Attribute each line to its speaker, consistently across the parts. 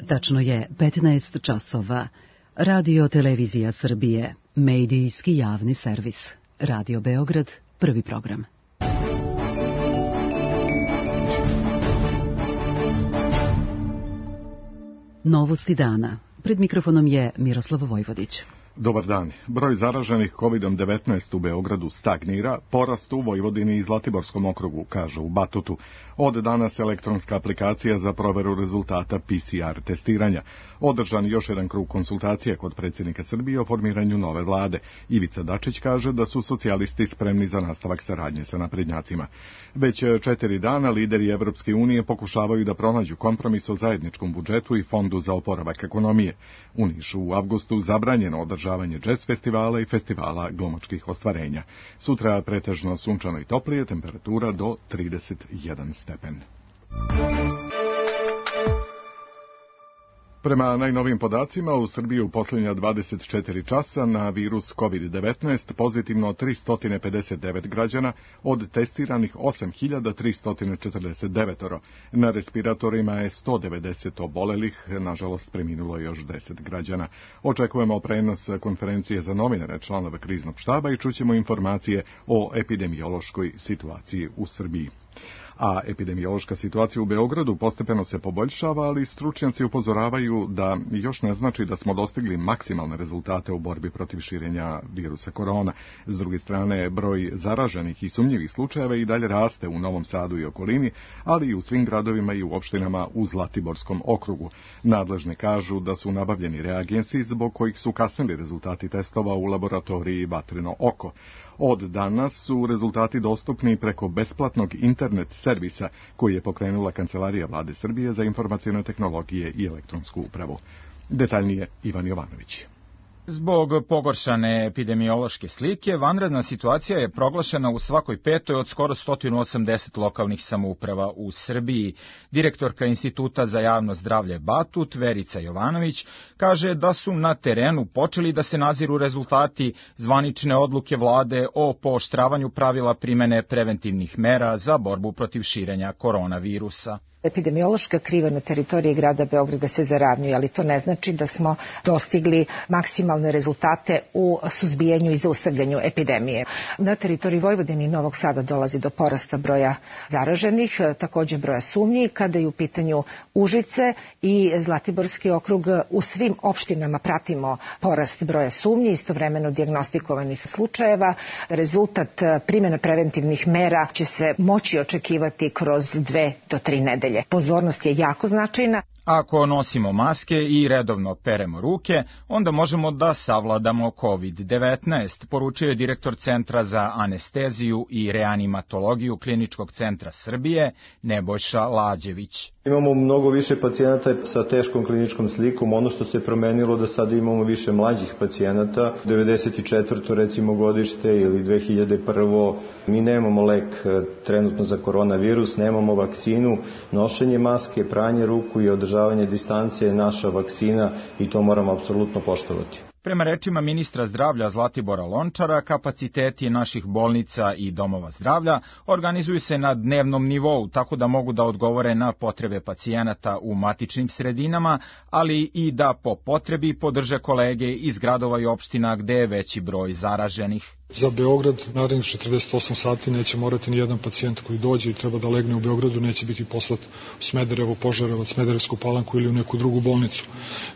Speaker 1: Tačno je 15 časova. Radio Televizija Srbije, medijski javni servis. Radio Beograd, prvi program. Novosti dana. Pred mikrofonom je Miroslav Vojvodić.
Speaker 2: Dobar dan. Broj zaraženih COVID-19 u Beogradu stagnira, porast u Vojvodini i Zlatiborskom okrugu, kaže u Batutu. Od danas elektronska aplikacija za proveru rezultata PCR testiranja. Održan još jedan krug konsultacija kod predsjednika Srbije o formiranju nove vlade. Ivica Dačić kaže da su socijalisti spremni za nastavak saradnje sa naprednjacima. Već 4 dana lideri Evropske unije pokušavaju da pronađu kompromis o zajedničkom budžetu i fondu za oporavak ekonomije. U Nišu u avgustu zabranjeno održavanje džez festivala i festivala glumačkih ostvarenja. Sutra pretežno sunčano i toplije, temperatura do 31 stepen. Prema najnovijim podacima, u Srbiji u posljednja 24 časa na virus COVID-19 pozitivno 359 građana, od testiranih 8.349. Na respiratorima je 190 obolelih, nažalost preminulo još 10 građana. Očekujemo prenos konferencije za novinare članove kriznog štaba i čućemo informacije o epidemiološkoj situaciji u Srbiji. A epidemiološka situacija u Beogradu postepeno se poboljšava, ali stručnjaci upozoravaju da još ne znači da smo dostigli maksimalne rezultate u borbi protiv širenja virusa korona. S druge strane, broj zaraženih i sumnjivih slučajeva i dalje raste u Novom Sadu i okolini, ali i u svim gradovima i u opštinama u Zlatiborskom okrugu. Nadležne kažu da su nabavljeni reagensi zbog kojih su kasnili rezultati testova u laboratoriji Vatreno oko. Od danas su rezultati dostupni preko besplatnog internet servisa koji je pokrenula Kancelarija Vlade Srbije za informacione tehnologije i elektronsku upravu. Detaljnije Ivan Jovanović.
Speaker 3: Zbog pogoršane epidemiološke slike, vanredna situacija je proglašena u svakoj petoj od skoro 180 lokalnih samouprava u Srbiji. Direktorka Instituta za javno zdravlje Batut, Verica Jovanović, kaže da su na terenu počeli da se naziru rezultati zvanične odluke vlade o pooštravanju pravila primene preventivnih mera za borbu protiv širenja koronavirusa.
Speaker 4: Epidemiološka kriva na teritoriji grada Beograda se zaravnjuje, ali to ne znači da smo dostigli maksimalne rezultate u suzbijanju i zaustavljanju epidemije. Na teritoriji Vojvodine i Novog Sada dolazi do porasta broja zaraženih, takođe broja sumnji. Kada je u pitanju Užice i Zlatiborski okrug, u svim opštinama pratimo porast broja sumnji, istovremeno dijagnostikovanih slučajeva. Rezultat primjene preventivnih mera će se moći očekivati kroz 2 do 3 nedelje. Pozornost je jako značajna.
Speaker 3: Ako nosimo maske i redovno peremo ruke, onda možemo da savladamo COVID-19, poručio je direktor Centra za anesteziju i reanimatologiju Kliničkog centra Srbije, Nebojša Lađević.
Speaker 5: Imamo mnogo više pacijenata sa teškom kliničkom slikom. Ono što se promenilo da sada imamo više mlađih pacijenata. 94. recimo godište ili 2001. Mi nemamo lek trenutno za koronavirus, nemamo vakcinu. Nošenje maske, pranje ruku i održavanje distance je naša vakcina i to moramo apsolutno poštovati.
Speaker 3: Prema rečima ministra zdravlja Zlatibora Lončara, kapaciteti naših bolnica i domova zdravlja organizuju se na dnevnom nivou, tako da mogu da odgovore na potrebe pacijenata u matičnim sredinama, ali i da po potrebi podrže kolege iz gradova i opština gde je veći broj zaraženih.
Speaker 6: Za Beograd narednih 48 sati neće morati ni jedan pacijent koji dođe i treba da legne u Beogradu, neće biti poslat u Smederevo, Požarevac, Smederevsku Palanku ili u neku drugu bolnicu.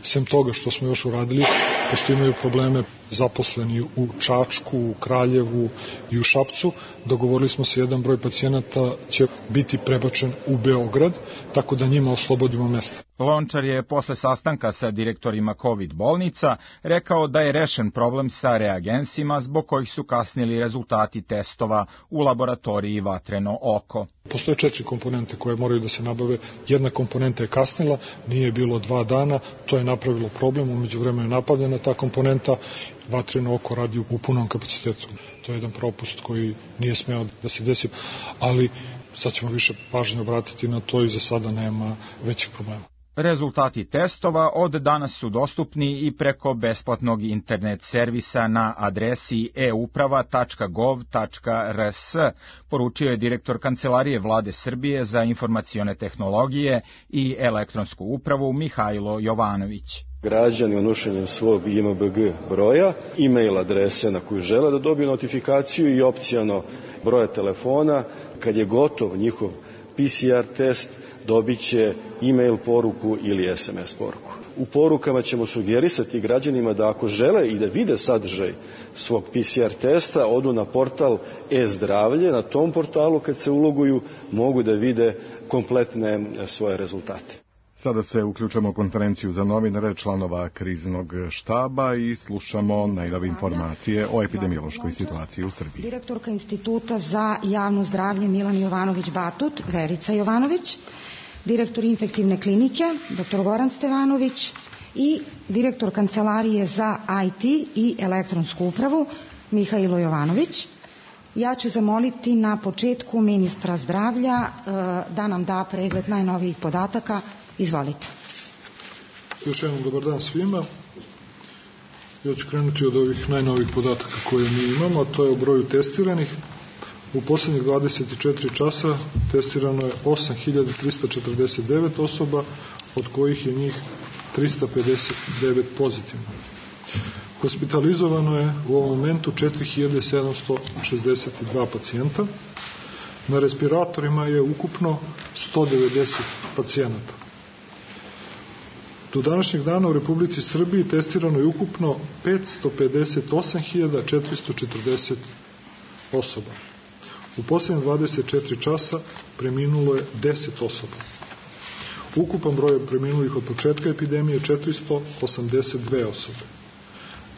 Speaker 6: Sem toga što smo još uradili, pošto imaju probleme zaposleni u Čačku, u Kraljevu i u Šapcu, dogovorili smo se jedan broj pacijenata će biti prebačen u Beograd, tako da njima oslobodimo mesta.
Speaker 3: Lončar je posle sastanka sa direktorima COVID bolnica rekao da je rešen problem sa reagensima zbog kojih su kasnili rezultati testova u laboratoriji Vatreno oko.
Speaker 6: Postoje 4 komponente koje moraju da se nabave. Jedna komponenta je kasnila, nije bilo 2 dana, to je napravilo problem, umeđu vremenu je napravljena ta komponenta, Vatreno oko radi u punom kapacitetu. To je jedan propust koji nije smeo da se desi, ali sad ćemo više pažnje obratiti na to i za sada nema većih problema.
Speaker 3: Rezultati testova od danas su dostupni i preko besplatnog internet servisa na adresi euprava.gov.rs, poručio je direktor Kancelarije Vlade Srbije za informacione tehnologije i elektronsku upravu Mihajlo Jovanović.
Speaker 7: Građani unošenjem svog IMBG broja, e-mail adrese na koju žele da dobiju notifikaciju i opciono broja telefona, kad je gotov njihov PCR test, dobit će e-mail poruku ili SMS poruku. U porukama ćemo sugerisati građanima da ako žele i da vide sadržaj svog PCR testa, odu na portal e-zdravlje. Na tom portalu kad se uloguju mogu da vide kompletne svoje rezultate.
Speaker 2: Sada se uključamo u konferenciju za novinare članova kriznog štaba i slušamo najnovije informacije o epidemiološkoj situaciji u Srbiji.
Speaker 8: Direktorka Instituta za javno zdravlje Milan Jovanović-Batut, Verica Jovanović, direktor infektivne klinike, dr. Goran Stevanović i direktor Kancelarije za IT i elektronsku upravu, Mihajlo Jovanović. Ja ću zamoliti na početku ministra zdravlja da nam da pregled najnovijih podataka. Izvolite.
Speaker 6: Još jednom dobar dan svima. Ja ću krenuti od ovih najnovih podataka koje mi imamo, a to je o broju testiranih. U poslednjih 24 časa testirano je 8.349 osoba, od kojih je njih 359 pozitivno. Hospitalizovano je u ovom momentu 4.762 pacijenta. Na respiratorima je ukupno 190 pacijenata. Do današnjeg dana u Republici Srbiji testirano je ukupno 558.440 osoba. U posljednje 24 časa preminulo je 10 osoba. Ukupan broj preminulih od početka epidemije je 482 osobe.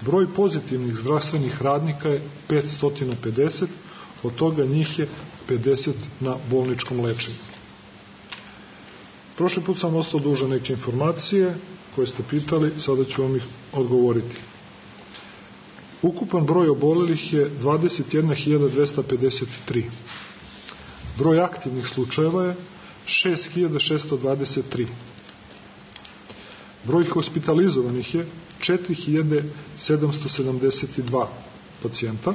Speaker 6: Broj pozitivnih zdravstvenih radnika je 550, od toga njih je 50 na bolničkom lečenju. Prošli put sam ostao dužan neke informacije koje ste pitali, sada ću vam ih odgovoriti. Ukupan broj obolelih je 21.253. Broj aktivnih slučajeva je 6.623. Broj hospitalizovanih je 4.772 pacijenta.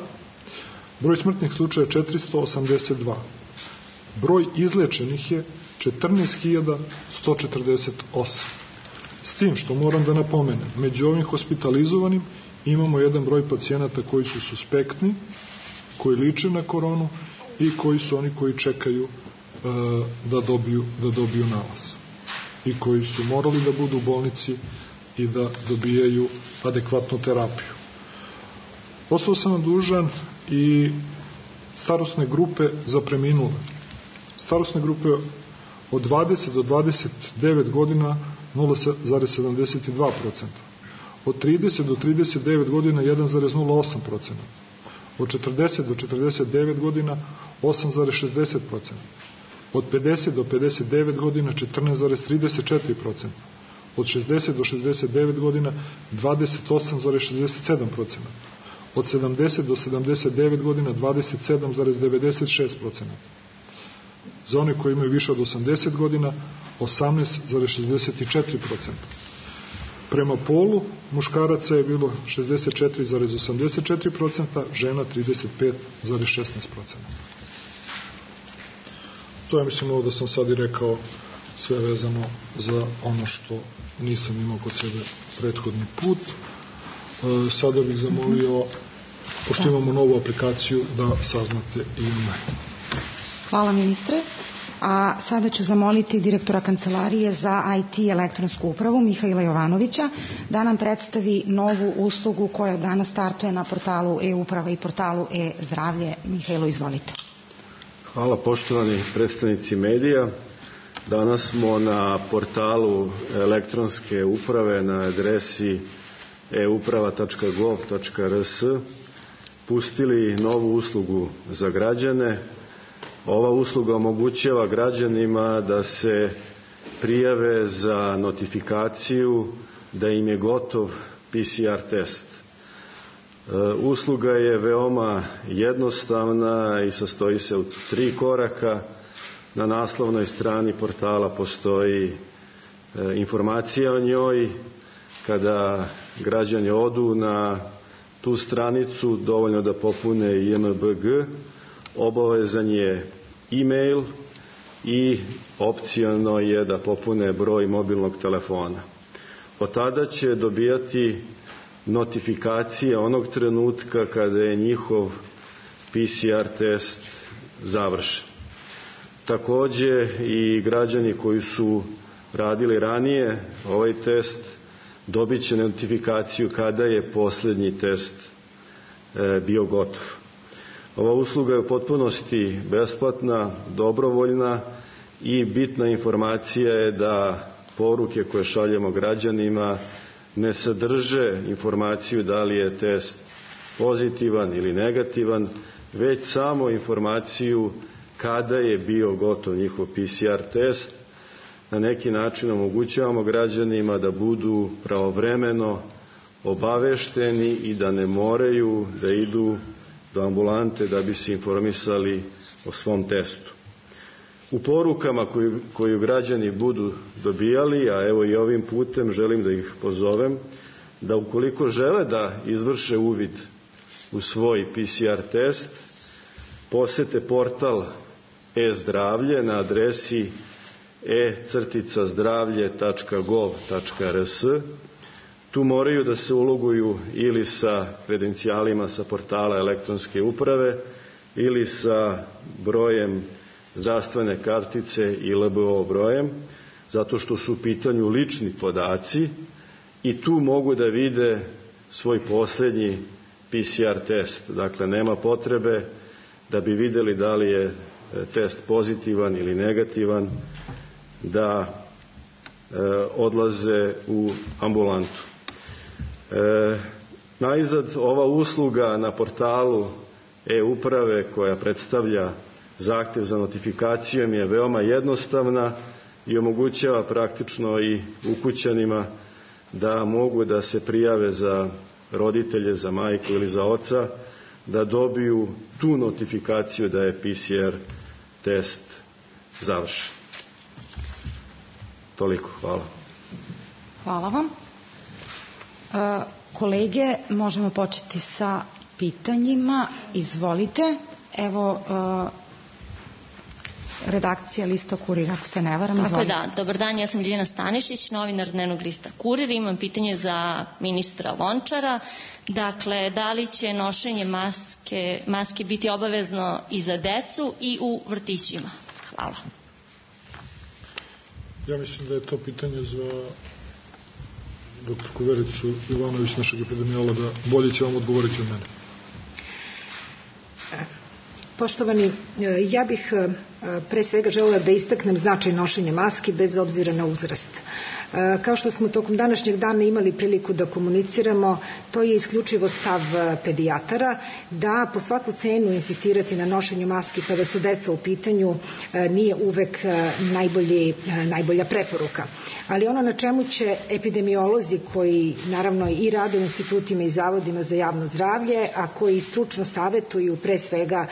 Speaker 6: Broj smrtnih slučaja je 482. Broj izlečenih je 14.148. S tim što moram da napomenem, među ovim hospitalizovanim imamo jedan broj pacijenata koji su suspektni, koji liče na koronu i koji su oni koji čekaju da dobiju nalaz i koji su morali da budu u bolnici i da dobijaju adekvatnu terapiju. Ostao sam vam dužan i starosne grupe za preminule. Starosne grupe od 20 do 29 godina 0,72%. Od 30 do 39 godina 1,08%. Od 40 do 49 godina 8,60%. Od 50 do 59 godina 14,34%. Od 60 do 69 godina 28,67%. Od 70 do 79 godina 27,96%. Za one koji imaju više od 80 godina 18,64%. Prema polu muškaraca je bilo 64,84%, žena 35,16%. To je, mislim, ovo da sam sad i rekao sve vezano za ono što nisam imao kod sebe prethodni put. Sada bih zamolio, pošto imamo novu aplikaciju, da saznate i ime.
Speaker 8: Hvala, ministre. A sada ću zamoliti direktora Kancelarije za IT i elektronsku upravu Mihajla Jovanovića da nam predstavi novu uslugu koja danas startuje na portalu e-uprava i portalu e-zdravlje. Mihajlo, izvolite.
Speaker 7: Hvala, poštovani predstavnici medija. Danas smo na portalu elektronske uprave na adresi euprava.gov.rs pustili novu uslugu za građane. Ova usluga omogućava građanima da se prijave za notifikaciju da im je gotov PCR test. Usluga je veoma jednostavna i sastoji se u 3 koraka. Na naslovnoj strani portala postoji informacija o njoj. Kada građani odu na tu stranicu, dovoljno da popune JMBG, obavezan je e-mail i opciono je da popune broj mobilnog telefona. Od tada će dobijati notifikacije onog trenutka kada je njihov PCR test završen. Takođe i građani koji su radili ranije ovaj test dobit će notifikaciju kada je poslednji test bio gotov. Ova usluga je u potpunosti besplatna, dobrovoljna i bitna informacija je da poruke koje šaljemo građanima ne sadrže informaciju da li je test pozitivan ili negativan, već samo informaciju kada je bio gotov njihov PCR test. Na neki način omogućavamo građanima da budu pravovremeno obavešteni i da ne moraju da idu do ambulante da bi se informisali o svom testu. U porukama koju građani budu dobijali, a evo i ovim putem želim da ih pozovem, da ukoliko žele da izvrše uvid u svoj PCR test, posete portal e-zdravlje na adresi e-zdravlje.gov.rs. Tu moraju da se uloguju ili sa kredencijalima sa portala elektronske uprave ili sa brojem zdravstvene kartice i LBO brojem, zato što su u pitanju lični podaci i tu mogu da vide svoj poslednji PCR test. Dakle, nema potrebe da bi videli da li je test pozitivan ili negativan, da odlaze u ambulantu. Najzad, ova usluga na portalu e-uprave koja predstavlja zahtev za notifikacijom je veoma jednostavna i omogućava praktično i ukućanima da mogu da se prijave za roditelje, za majku ili za oca, da dobiju tu notifikaciju da je PCR test završen. Toliko, hvala.
Speaker 8: Hvala vam. Kolege, možemo početi sa pitanjima. Izvolite. Evo, redakcija lista Kurir, ako se ne varam.
Speaker 9: Tako je, da. Dobar dan, ja sam Ljiljana Stanišić, novinar dnevnog lista Kurir. Imam pitanje za ministra Lončara. Dakle, da li će nošenje maske biti obavezno i za decu i u vrtićima? Hvala.
Speaker 6: Ja mislim da je to pitanje za doktorku Vericu Ivanović, našeg epidemiologa. Bolje će vam odgovoriti od mene.
Speaker 4: Poštovani, ja bih pre svega želela da istaknem značaj nošenja maski bez obzira na uzrast. Kao što smo tokom današnjeg dana imali priliku da komuniciramo, to je isključivo stav pedijatara, da po svaku cenu insistirati na nošenju maski kada su deca u pitanju nije uvek najbolja preporuka. Ali ono na čemu će epidemiolozi koji naravno i rade u institutima i zavodima za javno zdravlje, a koji stručno savetuju pre svega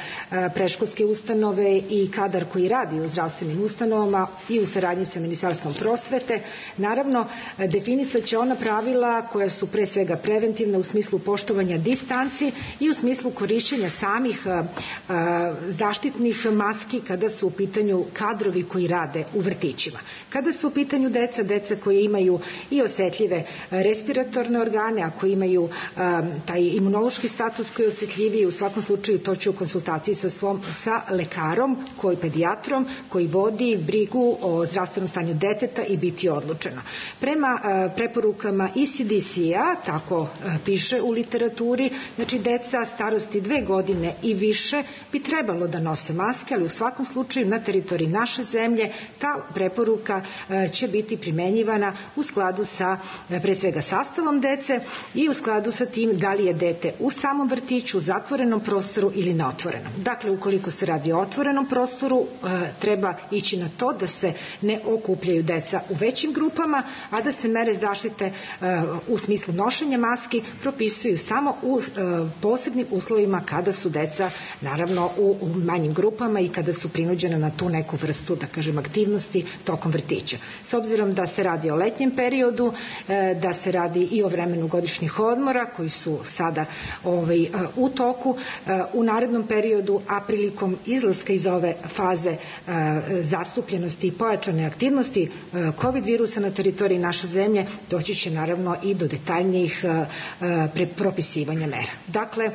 Speaker 4: predškolske ustanove i kadar koji radi u zdravstvenim ustanovama i u saradnji sa Ministarstvom prosvete, naravno, definisat će ona pravila koja su pre svega preventivna u smislu poštovanja distanci i u smislu korišćenja samih zaštitnih maski kada su u pitanju kadrovi koji rade u vrtićima. Kada su u pitanju deca koji imaju i osetljive respiratorne organe, a koji imaju taj imunološki status koji je osetljiviji, u svakom slučaju to će u konsultaciji sa lekarom, pedijatrom, koji vodi brigu o zdravstvenom stanju deteta i biti odlučeno. Prema preporukama i CDC-a, tako piše u literaturi, znači deca starosti 2 godine i više bi trebalo da nose maske, ali u svakom slučaju na teritoriji naše zemlje ta preporuka će biti primenjivana u skladu sa pre svega sastavom dece i u skladu sa tim da li je dete u samom vrtiću, zatvorenom prostoru ili na otvorenom. Dakle, ukoliko se radi o otvorenom prostoru, odgovoru treba ići na to da se ne okupljaju deca u većim grupama, a da se mere zaštite u smislu nošenja maski propisuju samo u posebnim uslovima kada su deca naravno u manjim grupama i kada su prinuđena na tu neku vrstu, da kažem, aktivnosti tokom vrtića. S obzirom da se radi o letnjem periodu, da se radi i o vremenu godišnjih odmora koji su sada u toku, u narednom periodu, a prilikom izlaska iz ove faze zastupljenosti i pojačane aktivnosti COVID virusa na teritoriji naše zemlje, doći će naravno i do detaljnijih propisivanja mera. Dakle,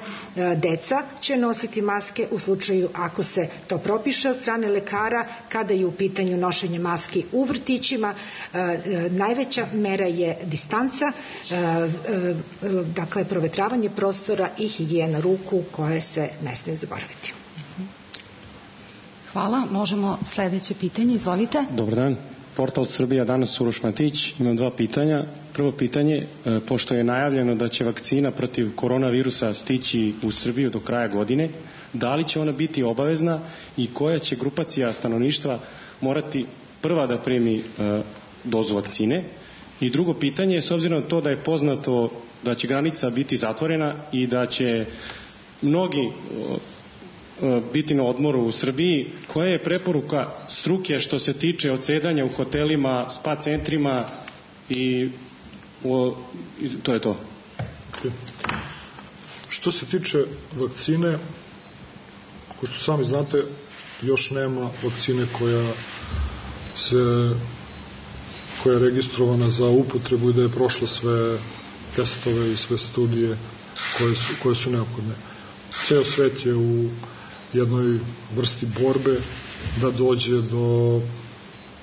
Speaker 4: deca će nositi maske u slučaju ako se to propiše od strane lekara, kada je u pitanju nošenje maski u vrtićima. Najveća mera je distanca, dakle provetravanje prostora i higijena ruku koje se ne smiju zaboraviti.
Speaker 8: Hvala. Možemo sledeće pitanje. Izvolite.
Speaker 10: Dobar dan. Portal Srbija, danas Uroš Matić. Imam 2 pitanja. Prvo pitanje, pošto je najavljeno da će vakcina protiv koronavirusa stići u Srbiju do kraja godine, da li će ona biti obavezna i koja će grupacija stanovništva morati prva da primi dozu vakcine? I drugo pitanje, s obzirom na to da je poznato da će granica biti zatvorena i da će mnogi biti na odmoru u Srbiji, koja je preporuka struke što se tiče odsedanja u hotelima, spa centrima i to je to.
Speaker 6: Što se tiče vakcine, ko što sami znate, još nema vakcine koja je registrovana za upotrebu i da je prošla sve testove i sve studije koje su neophodne. Ceo svet je u jednoj vrsti borbe da dođe do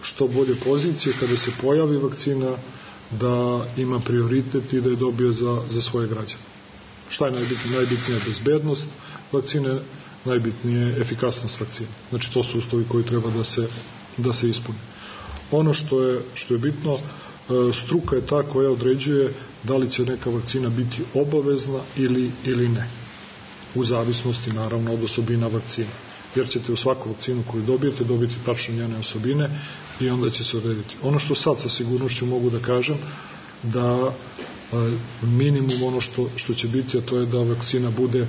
Speaker 6: što bolje pozicije kada se pojavi vakcina, da ima prioritet i da je dobije za svoje građane. Šta je najbitnije? Najbitnija je bezbednost vakcine, najbitnije je efikasnost vakcine. Znači to su uslovi koji treba da se ispune. Ono što je bitno, struka je ta koja određuje da li će neka vakcina biti obavezna ili ne. U zavisnosti naravno od osobina vakcine. Jer ćete u svaku vakcinu koju dobijete dobiti tačno njene osobine i onda će se odrediti. Ono što sad sa sigurnošću mogu da kažem, da minimum ono što će biti, a to je da vakcina bude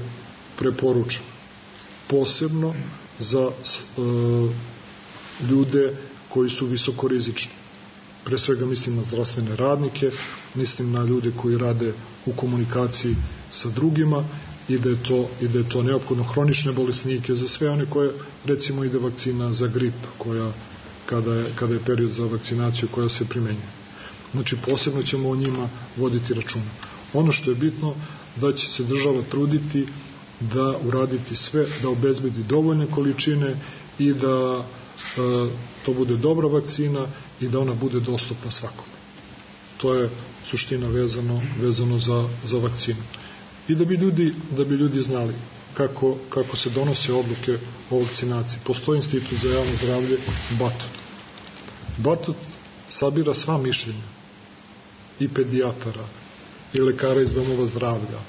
Speaker 6: preporučena. Posebno za ljude koji su visokorizični. Pre svega mislim na zdravstvene radnike, mislim na ljude koji rade u komunikaciji sa drugima i da je to neophodno, hronične bolesnike, za sve one koje, recimo, ide vakcina za grip, kada je period za vakcinaciju koja se primenjuje. Znači, posebno ćemo o njima voditi računa. Ono što je bitno, da će se država truditi da uraditi sve, da obezbedi dovoljne količine i da to bude dobra vakcina i da ona bude dostupna svakome. To je suština vezano za vakcinu. I da bi ljudi znali kako se donose odluke o vakcinaciji. Postoji Institut za javno zdravlje Batut. Batut sabira sva mišljenja i pedijatara, i lekara iz domova zdravlja,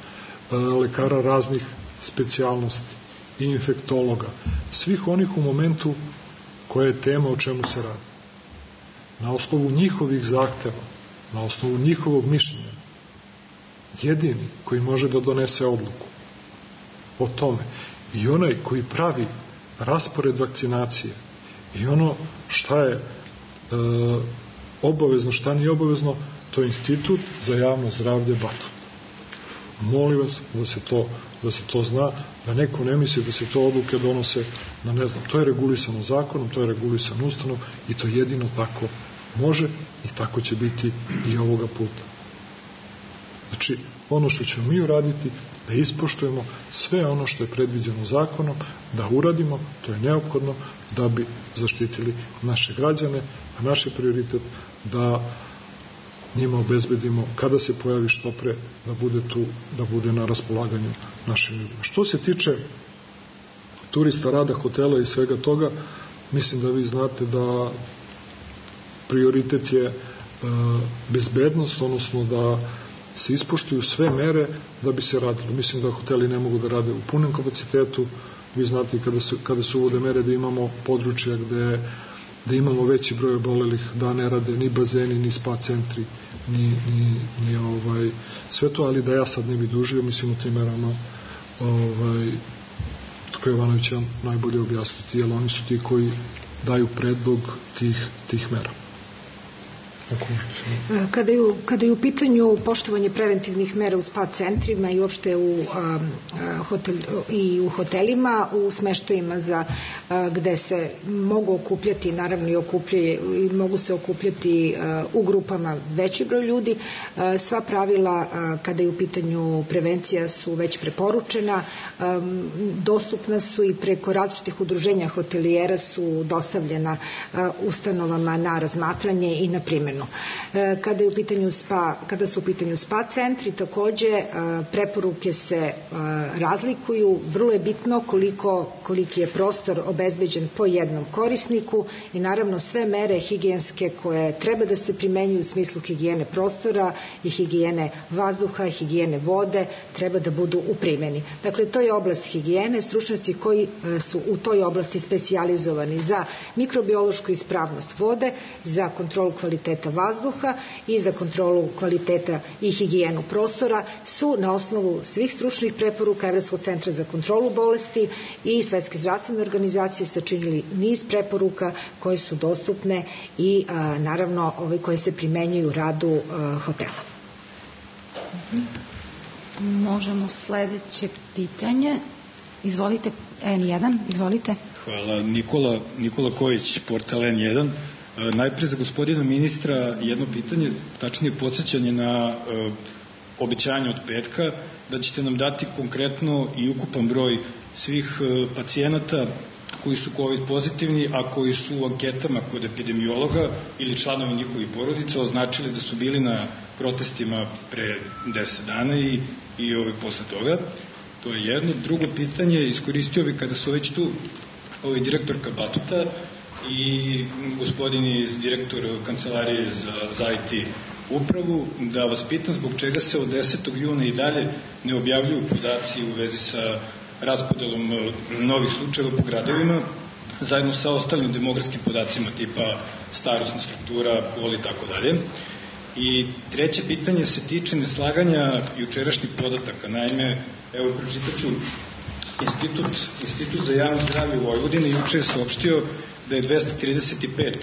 Speaker 6: lekara raznih specijalnosti, i infektologa, svih onih u momentu koja je tema o čemu se radi. Na osnovu njihovih zahteva, na osnovu njihovog mišljenja, jedini koji može da donese odluku o tome i onaj koji pravi raspored vakcinacije i ono šta je obavezno, šta nije obavezno, to je Institut za javno zdravlje Batut. Molim vas da se to zna, da neko ne misli da se to odluke donose na ne znam, to je regulisano zakonom, to je regulisano ustavom i to jedino tako može i tako će biti i ovoga puta. Znači, ono što ćemo mi uraditi, da ispoštujemo sve ono što je predviđeno zakonom, da uradimo, to je neophodno da bi zaštitili naše građane, a naš je prioritet da njima obezbedimo, kada se pojavi što pre, da bude tu, da bude na raspolaganju našim ljudima. Što se tiče turista, rada, hotela i svega toga, mislim da vi znate da prioritet je bezbednost, odnosno da se ispoštuju sve mere da bi se radilo. Mislim da hoteli ne mogu da rade u punom kapacitetu, Vi znate kada se uvode mere da imamo područja gde imamo veći broj obolelih, da ne rade ni bazeni, ni spa centri, ni sve to, ali da ja sad ne bi dužio, mislim o tim merama Tko Jovanović će najbolje objasniti, jer oni su ti koji daju predlog tih mera.
Speaker 4: Kada je u pitanju poštovanje preventivnih mera u spa centrima i uopšte u hotelima, u smeštajima gde se mogu okupljati, naravno i mogu se okupljati u grupama veći broj ljudi, sva pravila kada je u pitanju prevencija su već preporučena, dostupna su i preko različitih udruženja hotelijera su dostavljena ustanovama na razmatranje i na primjenu. Kada su u pitanju spa centri, takođe preporuke se razlikuju, vrlo je bitno koliki je prostor obezbeđen po jednom korisniku i naravno sve mere higijenske koje treba da se primenjuju u smislu higijene prostora i higijene vazduha, higijene vode treba da budu u primjeni. Dakle, to je oblast higijene, stručnjaci koji su u toj oblasti specijalizovani za mikrobiološku ispravnost vode, za kontrolu kvaliteta vazduha i za kontrolu kvaliteta i higijenu prostora su na osnovu svih stručnih preporuka Evropskog centra za kontrolu bolesti i Svetske zdravstvene organizacije sačinili niz preporuka koje su dostupne i naravno koje se primenjuju u radu hotela.
Speaker 8: Možemo sledeće pitanje. Izvolite, N1, izvolite.
Speaker 11: Hvala. Nikola Kojić, portal N1. Najpre za gospodina ministra jedno pitanje, tačnije podsjećanje na obećanje od petka, da ćete nam dati konkretno i ukupan broj svih pacijenata koji su COVID pozitivni, a koji su u anketama kod epidemiologa ili članovi njihovih porodica označili da su bili na protestima pre 10 dana i posle toga. To je jedno. Drugo pitanje, iskoristio bi kada su već tu direktorka Batuta i gospodin direktor Kancelarije za IT upravu, da vas pitam zbog čega se od 10. juna i dalje ne objavljuju podaci u vezi sa raspodelom novih slučajeva po gradovima, zajedno sa ostalim demografskim podacima tipa starosna struktura, pol i tako dalje. I treće pitanje se tiče neslaganja jučerašnjih podataka. Naime, evo pročitaću, Institut za javno zdravlje u Vojvodini juče je saopštio da je 235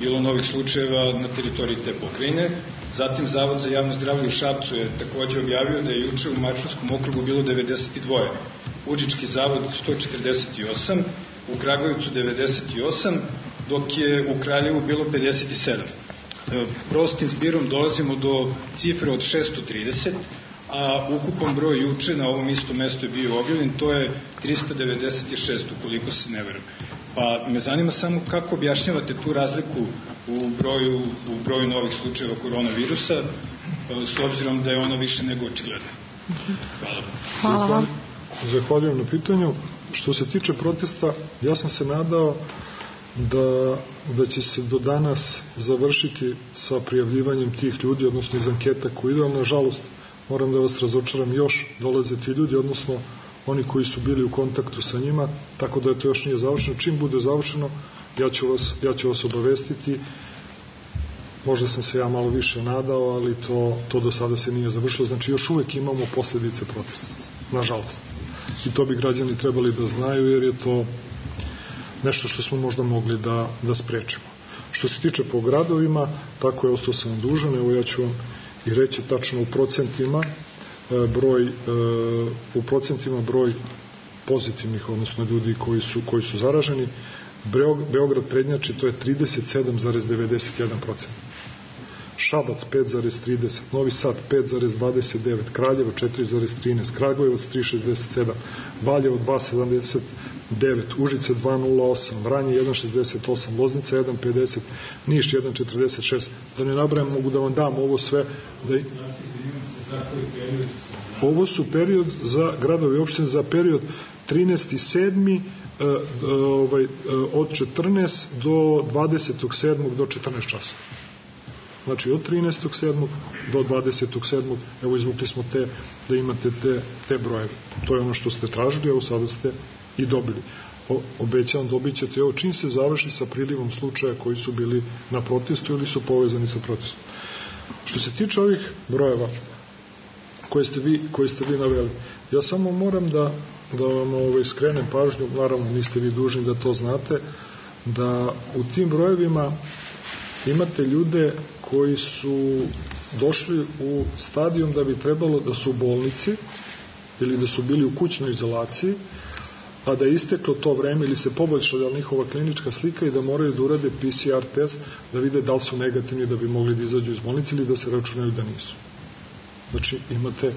Speaker 11: bilo novih slučajeva na teritoriji te pokrajine. Zatim Zavod za javno zdravlje u Šapcu je takođe objavio da je juče u Mačvanskom okrugu bilo 92, Užički zavod 148, u Kragujevcu 98, dok je u Kraljevu bilo 57. Prostim zbirom dolazimo do cifre od 630, a ukupan broj juče na ovom istom mestu je bio objavljen, to je 396, ukoliko se ne verujem. Pa me zanima samo kako objašnjavate tu razliku u broju novih slučajeva koronavirusa, s obzirom da je ono više nego očigledno. Hvala.
Speaker 8: Hvala vam.
Speaker 6: Zahvaljujem na pitanju. Što se tiče protesta, ja sam se nadao da će se do danas završiti sa prijavljivanjem tih ljudi, odnosno iz anketa koji idu, ali nažalost moram da vas razočaram, još dolaze ti ljudi, odnosno oni koji su bili u kontaktu sa njima, tako da to još nije završeno. Čim bude završeno, ja ću vas obavestiti. Možda sam se ja malo više nadao, ali to do sada se nije završilo. Znači, još uvek imamo posledice protesta, nažalost. I to bi građani trebali da znaju, jer je to nešto što smo možda mogli da sprečimo. Što se tiče po gradovima, tako je, ostao sam dužan, evo ja ću vam i reći tačno u procentima broj pozitivnih, odnosno ljudi koji su zaraženi. Beograd prednjači, to je 37,91%. Šabac 5,30%, Novi Sad 5,29%, Kraljevo 4,13%, Kragujevac 3,67%, Valjevo 2,79%, Užice 2,08%, Vranje 1,68%, Loznica 1,50%, Niš 1,46%. Da ne nabrajam, mogu da vam dam ovo sve. Ovo su period za gradove i opštine za period 13.7. Od 14 do 27. do 14 časova. Znači od 13.7. do 27. Evo izvukli smo da imate te brojeve. To je ono što ste tražili, evo sada ste i dobili. Obećavam, dobit ćete ovo čim se završi sa prilivom slučaja koji su bili na protestu ili su povezani sa protestom. Što se tiče ovih brojeva koje ste vi naveli, ja samo moram da vam skrenem pažnju, naravno niste vi dužni da to znate, da u tim brojevima imate ljude koji su došli u stadijum da bi trebalo da su u bolnici ili da su bili u kućnoj izolaciji, a da je isteklo to vreme ili se poboljšala njihova klinička slika i da moraju da urade PCR test da vide da li su negativni da bi mogli da izađu iz bolnice ili da se računaju da nisu. Znači imate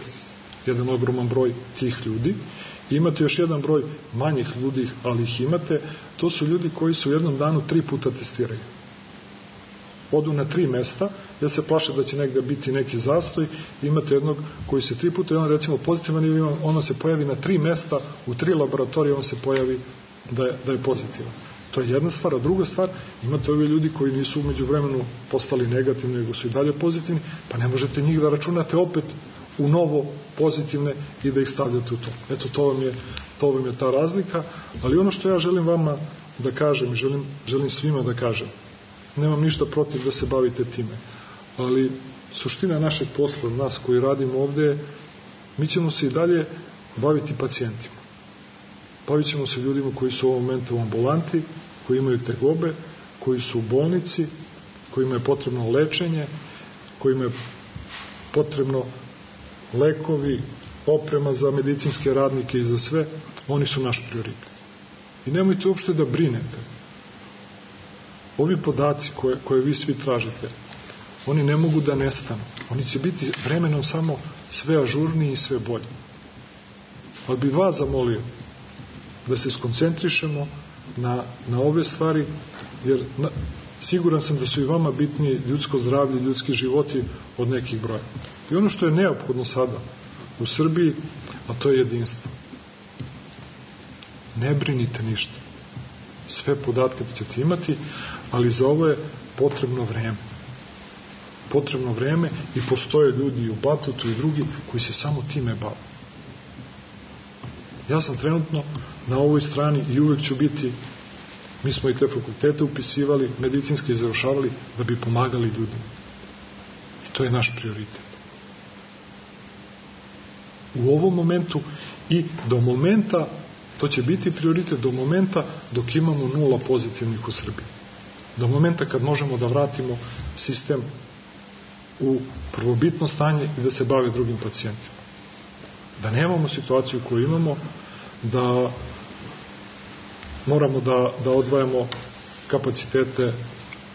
Speaker 6: jedan ogroman broj tih ljudi. Imate još jedan broj manjih ljudi, ali ih imate. To su ljudi koji su u jednom danu 3 puta testiraju. Odu na 3 mesta, jer se plaše da će negde biti neki zastoj. Imate jednog koji se 3 puta, i on recimo pozitivan, ili ono se pojavi na 3 mesta, u 3 laboratorije on se pojavi da je pozitivan. To je jedna stvar, a druga stvar, imate ovi ljudi koji nisu umeđu vremenu postali negativni, nego su i dalje pozitivni, pa ne možete njih da računate opet u novo pozitivne i da ih stavljate u to. Eto, to vam je ta razlika, ali ono što ja želim vama da kažem, želim svima da kažem, nemam ništa protiv da se bavite time, ali suština našeg posla, nas koji radimo ovde, mi ćemo se i dalje baviti pacijentima. Bavit ćemo se ljudima koji su u ovom momentu u ambulanti, koji imaju tegobe, koji su u bolnici, kojima je potrebno lečenje, kojima je potrebno lekovi, oprema za medicinske radnike i za sve. Oni su naš prioritet. I nemojte uopšte da brinete. Ovi podaci koje vi svi tražite, oni ne mogu da nestanu. Oni će biti vremenom samo sve ažurniji i sve bolji. Ali bi vas zamolio da se skoncentrišemo na ove stvari, jer siguran sam da su i vama bitniji ljudsko zdravlje, ljudski životi od nekih broja. I ono što je neophodno sada u Srbiji, a to je jedinstvo. Ne brinite ništa. Sve podatke ćete imati, ali za ovo je potrebno vreme. Potrebno vreme i postoje ljudi i u Batutu i drugi koji se samo time bave. Ja sam trenutno na ovoj strani i uvek ću biti, mi smo i te fakultete upisivali, medicinski završavali da bi pomagali ljudima. I to je naš prioritet. U ovom momentu i do momenta, to će biti prioritet do momenta dok imamo 0 pozitivnih u Srbiji. Do momenta kad možemo da vratimo sistem u prvobitno stanje i da se bave drugim pacijentima. Da nemamo situaciju koju imamo, da moramo da odvajamo kapacitete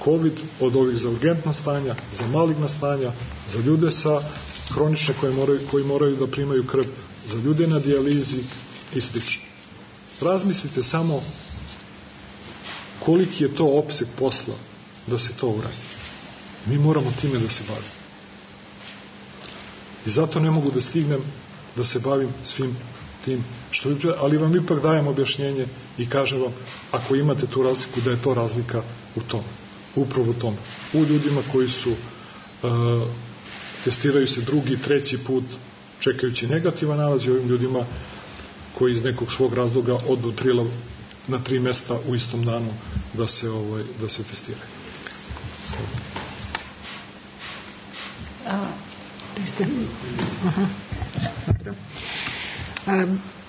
Speaker 6: COVID od ovih za urgentna stanja, za maligna stanja, za ljude sa hronične koji moraju da primaju krv, za ljude na dijalizi i sl. Razmislite samo koliki je to opseg posla da se to uradi. Mi moramo time da se bavimo. I zato ne mogu da stignem da se bavim svim tim što vi, ali vam ipak dajem objašnjenje i kažem vam, ako imate tu razliku, da je to razlika u tome. Upravo u tome. U ljudima koji su testiraju se 2., 3. put čekajući negativan nalaz i ovim ljudima koji iz nekog svog razloga odu na 3 mesta u istom danu da se testiraju.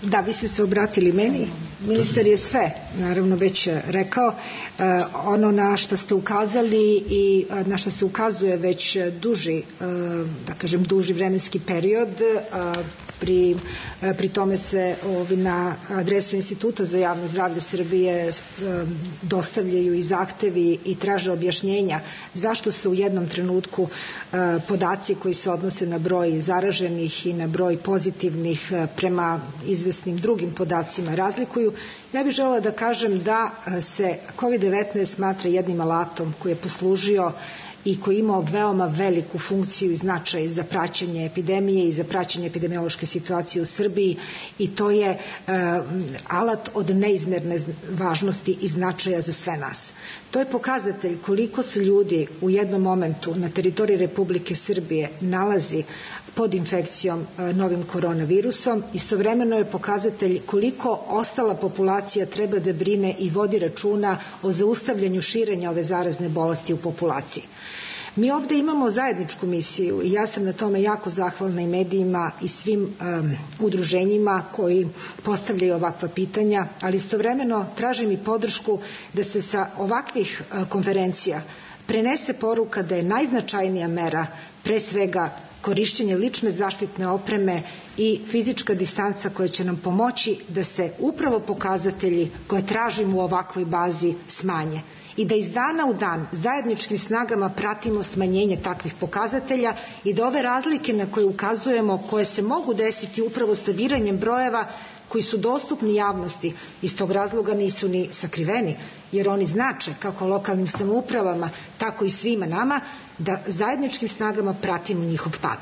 Speaker 4: Da, vi ste se obratili meni. Ministar je sve, naravno, već rekao. Ono na što ste ukazali i na što se ukazuje već duži vremenski period, pri tome se na adresu Instituta za javno zdravlje Srbije dostavljaju i zahtevi i traže objašnjenja zašto se u jednom trenutku podaci koji se odnose na broj zaraženih i na broj pozitivnih prema izvesnim drugim podacima razlikuju. Ja bih želela da kažem da se COVID-19 smatra jednim alatom koji je poslužio i koji ima veoma veliku funkciju i značaj za praćenje epidemije i za praćenje epidemiološke situacije u Srbiji i to je alat od neizmjerne važnosti i značaja za sve nas. To je pokazatelj koliko se ljudi u jednom momentu na teritoriji Republike Srbije nalazi pod infekcijom novim koronavirusom. Istovremeno je pokazatelj koliko ostala populacija treba da brine i vodi računa o zaustavljanju širenja ove zarazne bolesti u populaciji. Mi ovde imamo zajedničku misiju i ja sam na tome jako zahvalna i medijima i svim udruženjima koji postavljaju ovakva pitanja, ali istovremeno tražim i podršku da se sa ovakvih konferencija prenese poruka da je najznačajnija mera pre svega korišćenje lične zaštitne opreme i fizička distanca koja će nam pomoći da se upravo pokazatelji koje tražimo u ovakvoj bazi smanje i da iz dana u dan zajedničkim snagama pratimo smanjenje takvih pokazatelja i da ove razlike na koje ukazujemo, koje se mogu desiti upravo sabiranjem brojeva koji su dostupni javnosti, iz tog razloga nisu ni sakriveni, jer oni znače kako lokalnim samoupravama, tako i svima nama, da zajedničkim snagama pratimo njihov pad.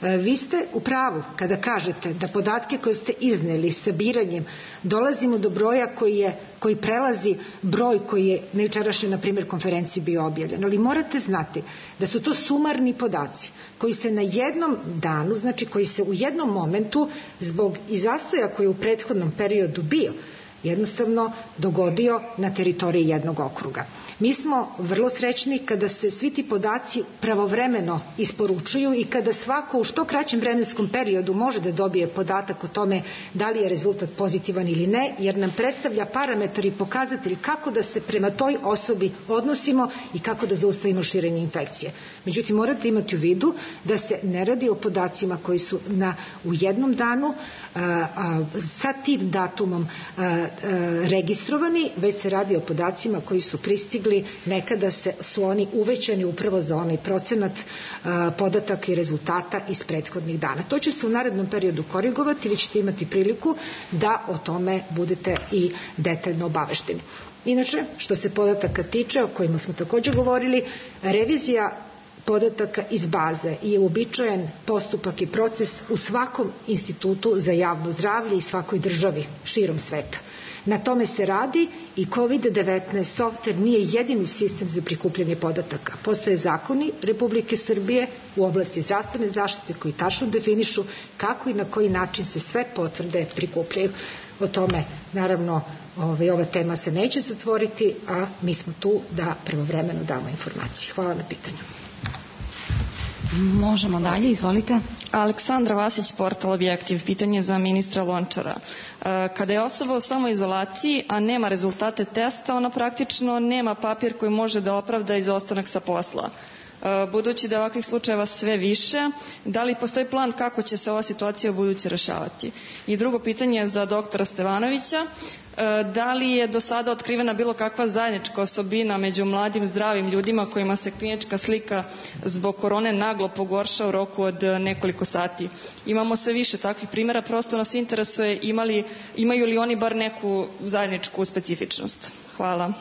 Speaker 4: Vi ste u pravu kada kažete da podatke koje ste izneli sabiranjem dolazimo do broja koji prelazi broj koji je na jučerašnjoj, na primjer, konferenciji bio objavljen. Ali morate znati da su to sumarni podaci koji se na jednom danu, znači koji se u jednom momentu zbog i zastoja koji je u prethodnom periodu bio, jednostavno dogodio na teritoriji jednog okruga. Mi smo vrlo srećni kada se svi ti podaci pravovremeno isporučuju i kada svako u što kraćem vremenskom periodu može da dobije podatak o tome da li je rezultat pozitivan ili ne, jer nam predstavlja parametar i pokazatelj kako da se prema toj osobi odnosimo i kako da zaustavimo širenje infekcije. Međutim, morate imati u vidu da se ne radi o podacima koji su u jednom danu sa tim datumom registrovani, već se radi o podacima koji su pristigli nekada su oni uvećani upravo za onaj procenat podataka i rezultata iz prethodnih dana. To će se u narednom periodu korigovati, vi ćete imati priliku da o tome budete i detaljno obavešteni. Inače, što se podataka tiče, o kojima smo također govorili, revizija podataka iz baze je uobičajen postupak i proces u svakom institutu za javno zdravlje i svakoj državi širom sveta. Na tome se radi i COVID-19 softver nije jedini sistem za prikupljanje podataka. Postoje zakoni Republike Srbije u oblasti zdravstvene zaštite koji tačno definišu kako i na koji način se sve potvrde prikupljaju. O tome, naravno, ova tema se neće zatvoriti, a mi smo tu da pravovremeno damo informacije. Hvala na pitanju.
Speaker 12: Možemo dalje, izvolite.
Speaker 13: Aleksandra Vasić, portal Objektiv, pitanje za ministra Lončara. Kada je osoba u samoizolaciji, a nema rezultate testa, ona praktično nema papir koji može da opravda izostanak sa posla. Budući da ovakvih slučajeva sve više, da li postoji plan kako će se ova situacija u buduće rešavati? I drugo pitanje je za doktora Stevanovića. Da li je do sada otkrivena bilo kakva zajednička osobina među mladim zdravim ljudima kojima se klinička slika zbog korone naglo pogorša u roku od nekoliko sati? Imamo sve više takvih primjera, prosto nas interesuje imaju li oni bar neku zajedničku specifičnost? Hvala.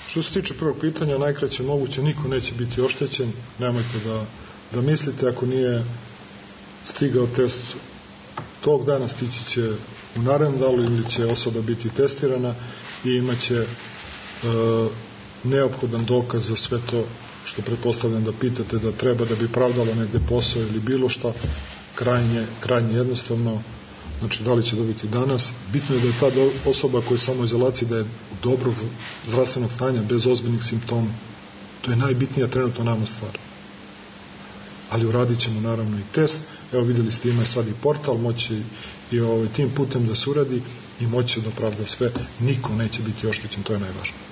Speaker 6: Što se tiče prvog pitanja, najkraće moguće, niko neće biti oštećen, nemojte da mislite, ako nije stigao test tog dana, stići će u narednom danu ili će osoba biti testirana i imaće neophodan dokaz za sve to što pretpostavljam da pitate da treba da bi pravdalo negde posao ili bilo šta, krajnje jednostavno. Znači, da li će dobiti danas? Bitno je da je ta osoba koja je samo u izolaciji, da je dobrog zdravstvenog stanja, bez ozbiljnih simptoma. To je najbitnija trenutno nama stvar. Ali uradit ćemo naravno i test. Evo, vidjeli ste, ima sad i portal, moći i tim putem da se uradi i moći da pravda sve. Niko neće biti oštećen, to je najvažnije.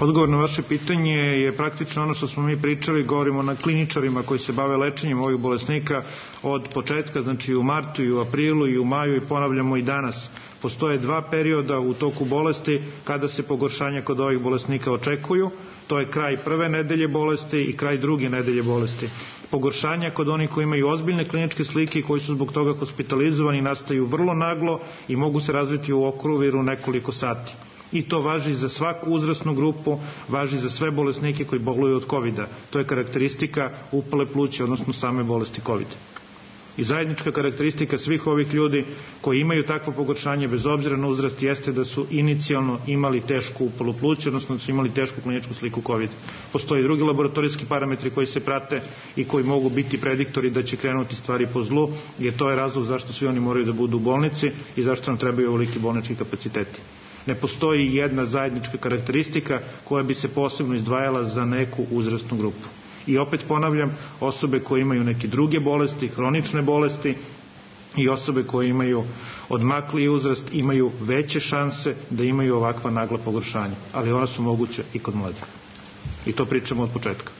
Speaker 14: Odgovor na vaše pitanje je praktično ono što smo mi pričali, govorimo na kliničarima koji se bave lečenjem ovih bolesnika od početka, znači u martu i u aprilu i u maju, i ponavljamo i danas. Postoje dva perioda u toku bolesti kada se pogoršanja kod ovih bolesnika očekuju. To je kraj prve nedelje bolesti i kraj druge nedelje bolesti. Pogoršanja kod onih koji imaju ozbiljne kliničke slike i koji su zbog toga hospitalizovani nastaju vrlo naglo i mogu se razviti u okruviru nekoliko sati. i to važi za svaku uzrasnu grupu, važi za sve bolesnike koji boluju od COVID-a. To je karakteristika upale pluća, odnosno same bolesti COVID. I zajednička karakteristika svih ovih ljudi koji imaju takvo pogoršanje bez obzira na uzrast jeste da su inicijalno imali tešku upalu pluća, odnosno da su imali tešku kliničku sliku COVID. Postoje drugi laboratorijski parametri koji se prate i koji mogu biti prediktori da će krenuti stvari po zlu, jer to je razlog zašto svi oni moraju da budu u bolnici i zašto nam trebaju ovoliki bolnički kapaciteti. Ne postoji jedna zajednička karakteristika koja bi se posebno izdvajala za neku uzrasnu grupu. I opet ponavljam, osobe koje imaju neke druge bolesti, hronične bolesti i osobe koje imaju odmakli uzrast imaju veće šanse da imaju ovakva nagla pogoršanja, ali ona su moguće i kod mladih. I to pričamo od početka.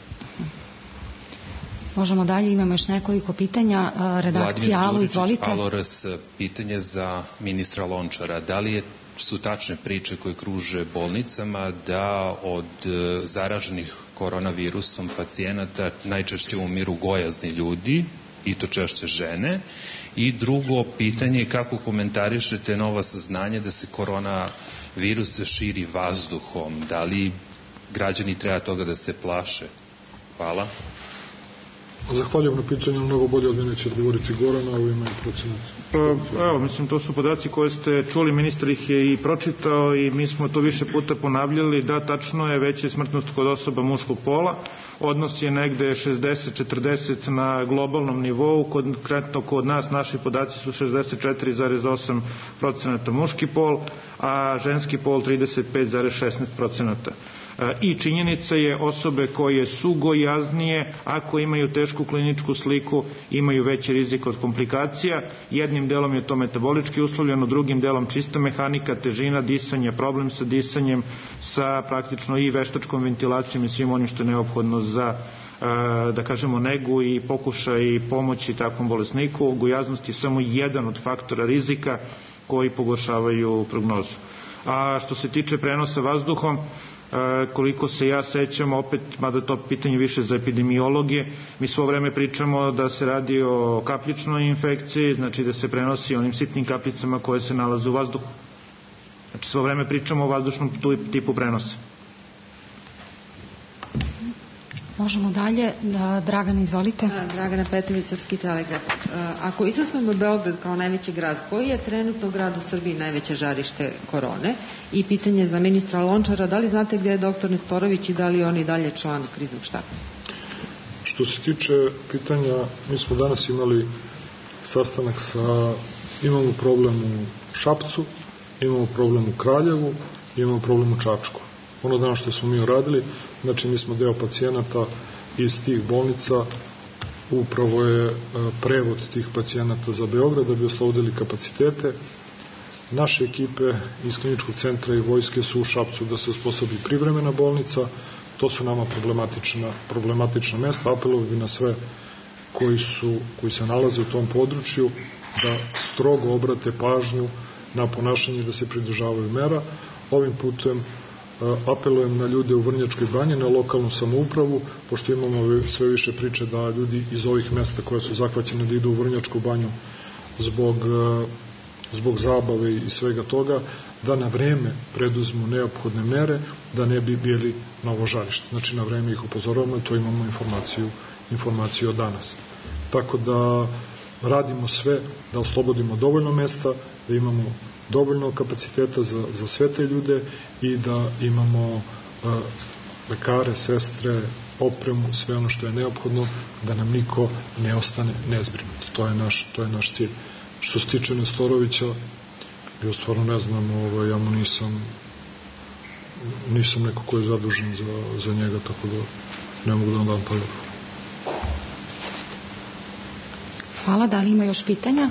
Speaker 8: Možemo dalje, imamo još nekoliko pitanja. Redakcija Alo, izvolite.
Speaker 12: Aloras, pitanje za ministra Lončara. Da li su tačne priče koje kruže bolnicama da od zaraženih koronavirusom pacijenata najčešće umiru gojazni ljudi i to češće žene? I drugo pitanje je kako komentarišete nova saznanja da se koronavirus širi vazduhom? Da li građani treba toga da se plaše? Hvala.
Speaker 6: Zahvaljujem na pitanju, mnogo bolje od mene će odgovoriti Goran, a u ime procenat.
Speaker 14: Evo, mislim, to su podaci koje ste čuli, ministar ih je i pročitao i mi smo to više puta ponavljali, da tačno je veća smrtnost kod osoba muškog pola, odnos je negde 60-40 na globalnom nivou, konkretno kod nas naši podaci su 64,8% muški pol, a ženski pol 35,16%. I činjenica je osobe koje su gojaznije, ako imaju tešku kliničku sliku, imaju veći rizik od komplikacija. Jednim delom je to metabolički uslovljeno, drugim delom čista mehanika, težina, disanje, problem sa disanjem, sa praktično i veštačkom ventilacijom i svim onim što je neophodno za da kažemo negu i pokušaj pomoći takvom bolesniku. Gojaznost je samo jedan od faktora rizika koji pogoršavaju prognozu. A što se tiče prenosa vazduhom, koliko se ja sećam, opet, mada to pitanje više za epidemiologije, mi svo vreme pričamo da se radi o kapljičnoj infekciji, znači da se prenosi onim sitnim kapljicama koje se nalaze u vazduhu. Znači svo vreme pričamo o vazdušnom tipu prenosa.
Speaker 8: Možemo dalje. Dragana, izvolite.
Speaker 15: Dragana Petrović, Srpski telegraf. Ako izlasnemo Beograd kao najveći grad, koji je trenutno grad u Srbiji najveće žarište korone? I pitanje za ministra Lončara, da li znate gdje je doktor Nestorović i da li on i dalje član kriznog štaba?
Speaker 6: Što se tiče pitanja, mi smo danas imali sastanak imamo problem u Šapcu, imamo problem u Kraljevu, imamo problem u Čačku. Ono danas što smo mi uradili, znači mi smo deo pacijenata iz tih bolnica, upravo je prevod tih pacijenata za Beograd da bi oslobodili kapacitete. Naše ekipe iz kliničkog centra i vojske su u Šapcu da se osposobi privremena bolnica. To su nama problematična mesta. Apelovao bi na sve koji se nalaze u tom području da strogo obrate pažnju na ponašanje da se pridržavaju mera. Ovim putem apelujem na ljude u Vrnjačkoj banji, na lokalnu samoupravu, pošto imamo sve više priče da ljudi iz ovih mesta koja su zahvaćene da idu u Vrnjačku banju zbog zabave i svega toga, da na vreme preduzmu neophodne mere, da ne bi bili novo žarište. Znači na vreme ih upozoravamo i to imamo informaciju od danas. Tako da radimo sve da oslobodimo dovoljno mesta, da imamo dovoljno kapaciteta za sve te ljude i da imamo lekare, sestre, opremu, sve ono što je neophodno, da nam niko ne ostane nezbrinut. To je naš cilj. Što se tiče Nestorovića, ja stvarno ne znam, ja mu nisam neko ko je zadužen za njega, tako da ne mogu da vam dam taj odgovor.
Speaker 8: Hvala. Da li ima još pitanja?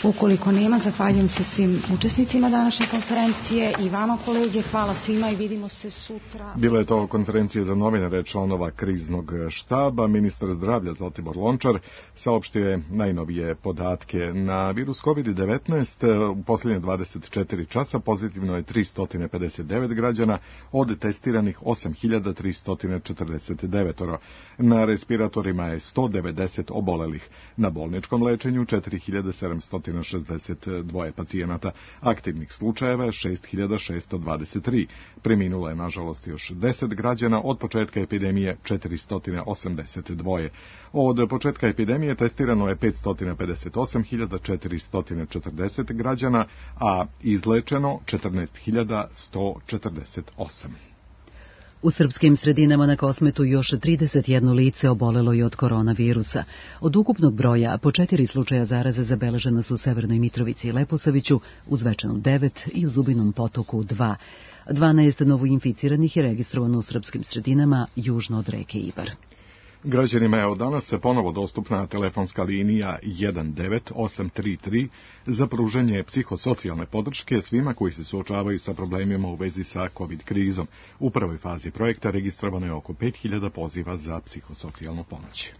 Speaker 8: Ukoliko nema, zahvaljujem se svim učesnicima današnje konferencije i vama, kolege. Hvala svima i vidimo se sutra.
Speaker 2: Bila je to konferencija za novinare članova kriznog štaba. Ministar zdravlja Zlatibor Lončar saopštio je najnovije podatke. Na virus COVID-19 u posljednje 24 časa pozitivno je 359 građana, od testiranih 8349. Na respiratorima je 190 obolelih. Na bolničkom lečenju 4700 662 pacijenata, aktivnih slučajeva 6623. Preminulo je, nažalost, još 10 građana, od početka epidemije 482. Od početka epidemije testirano je 558.440 građana, a izlečeno 14.148.
Speaker 1: U srpskim sredinama na Kosmetu još 31 lice obolelo je od koronavirusa. Od ukupnog broja po 4 slučaja zaraze zabeležena su u Severnoj Mitrovici i Leposaviću, u Zvečanu 9 i u Zubinom Potoku 2. 12 novoinficiranih je registrovano u srpskim sredinama južno od reke Ibar.
Speaker 2: Građanima je od danas ponovo dostupna telefonska linija 19833 za pružanje psihosocijalne podrške svima koji se suočavaju sa problemima u vezi sa COVID krizom. U prvoj fazi projekta registrovano je oko 5000 poziva za psihosocijalnu pomoć.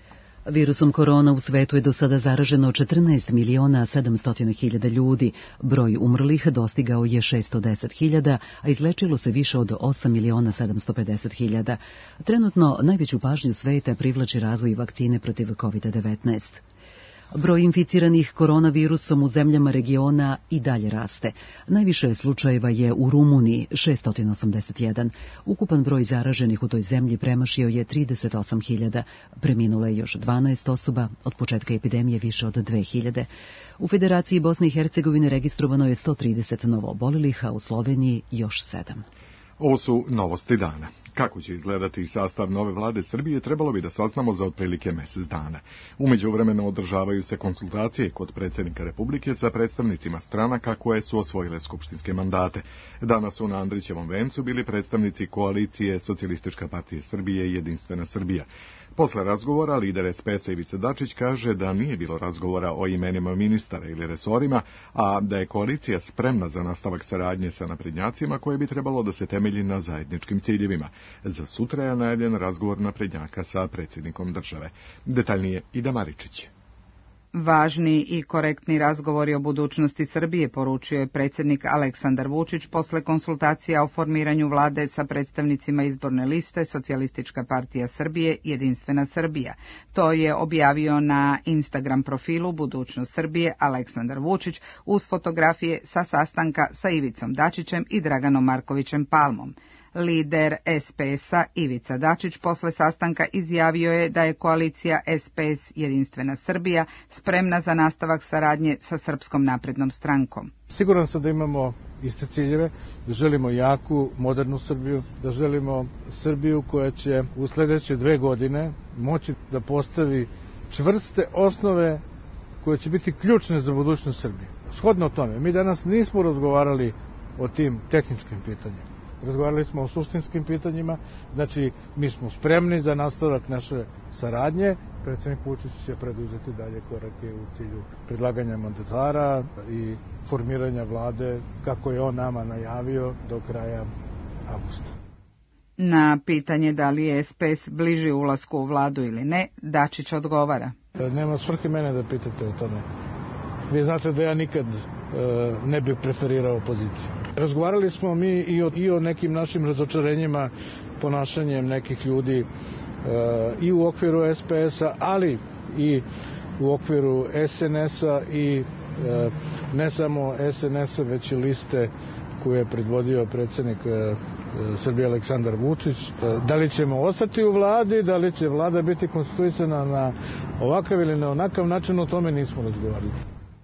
Speaker 1: Virusom korona u svetu je do sada zaraženo 14.700.000 ljudi. Broj umrlih dostigao je 610.000, a izlečilo se više od 8.750.000. Trenutno najveću pažnju sveta privlači razvoj vakcine protiv COVID-19. Broj inficiranih koronavirusom u zemljama regiona i dalje raste. Najviše slučajeva je u Rumuniji, 681. Ukupan broj zaraženih u toj zemlji premašio je 38.000. Preminulo je još 12 osoba, od početka epidemije više od 2.000. U Federaciji Bosne i Hercegovine registrovano je 130 novoobolelih, a u Sloveniji još 7.
Speaker 2: Ovo su novosti dana. Kako će izgledati sastav nove vlade Srbije, trebalo bi da saznamo za otprilike mjesec dana. U međuvremenu održavaju se konsultacije kod predsjednika Republike sa predstavnicima stranaka koje su osvojile skupštinske mandate. Danas su na Andrićevom vencu bili predstavnici koalicije Socijalistička partija Srbije i Jedinstvena Srbija. Posle razgovora, lider SPS-a Ivica Dačić kaže da nije bilo razgovora o imenima ministara ili resorima, a da je koalicija spremna za nastavak saradnje sa naprednjacima koje bi trebalo da se temelji na zajedničkim ciljevima. Za sutra je najavljen razgovor naprednjaka sa predsjednikom države. Detaljnije Ida Maričić.
Speaker 16: Važni i korektni razgovori o budućnosti Srbije, poručio je predsjednik Aleksandar Vučić posle konsultacija o formiranju vlade sa predstavnicima izborne liste Socijalistička partija Srbije i Jedinstvena Srbija. To je objavio na Instagram profilu Budućnost Srbije Aleksandar Vučić uz fotografije sa sastanka sa Ivicom Dačićem i Draganom Markovićem Palmom. Lider SPS-a Ivica Dačić posle sastanka izjavio je da je koalicija SPS Jedinstvena Srbija spremna za nastavak saradnje sa Srpskom naprednom strankom.
Speaker 17: Siguran sam da imamo iste ciljeve, da želimo jaku, modernu Srbiju, da želimo Srbiju koja će u sljedeće 2 godine moći da postavi čvrste osnove koje će biti ključne za budućnost Srbije. Shodno tome, mi danas nismo razgovarali o tim tehničkim pitanjima. Razgovarali smo o suštinskim pitanjima, znači mi smo spremni za nastavak naše saradnje. Predsjednik Vučić će preduzeti dalje korake u cilju predlaganja mandatara i formiranja vlade, kako je on nama najavio, do kraja avgusta.
Speaker 16: Na pitanje da li je SPS bliži ulasku u vladu ili ne, Dačić odgovara.
Speaker 17: Nema svrhe mene da pitate o tome. Vi znate da ja nikad ne bih preferirao opoziciju. Razgovarali smo mi i o nekim našim razočarenjima ponašanjem nekih ljudi i u okviru SPS-a, ali i u okviru SNS-a i ne samo SNS-a, već i liste koju je predvodio predsjednik Srbije Aleksandar Vučić. Da li ćemo ostati u vladi, da li će vlada biti konstituisana na ovakav ili na onakav način, o tome nismo razgovarali.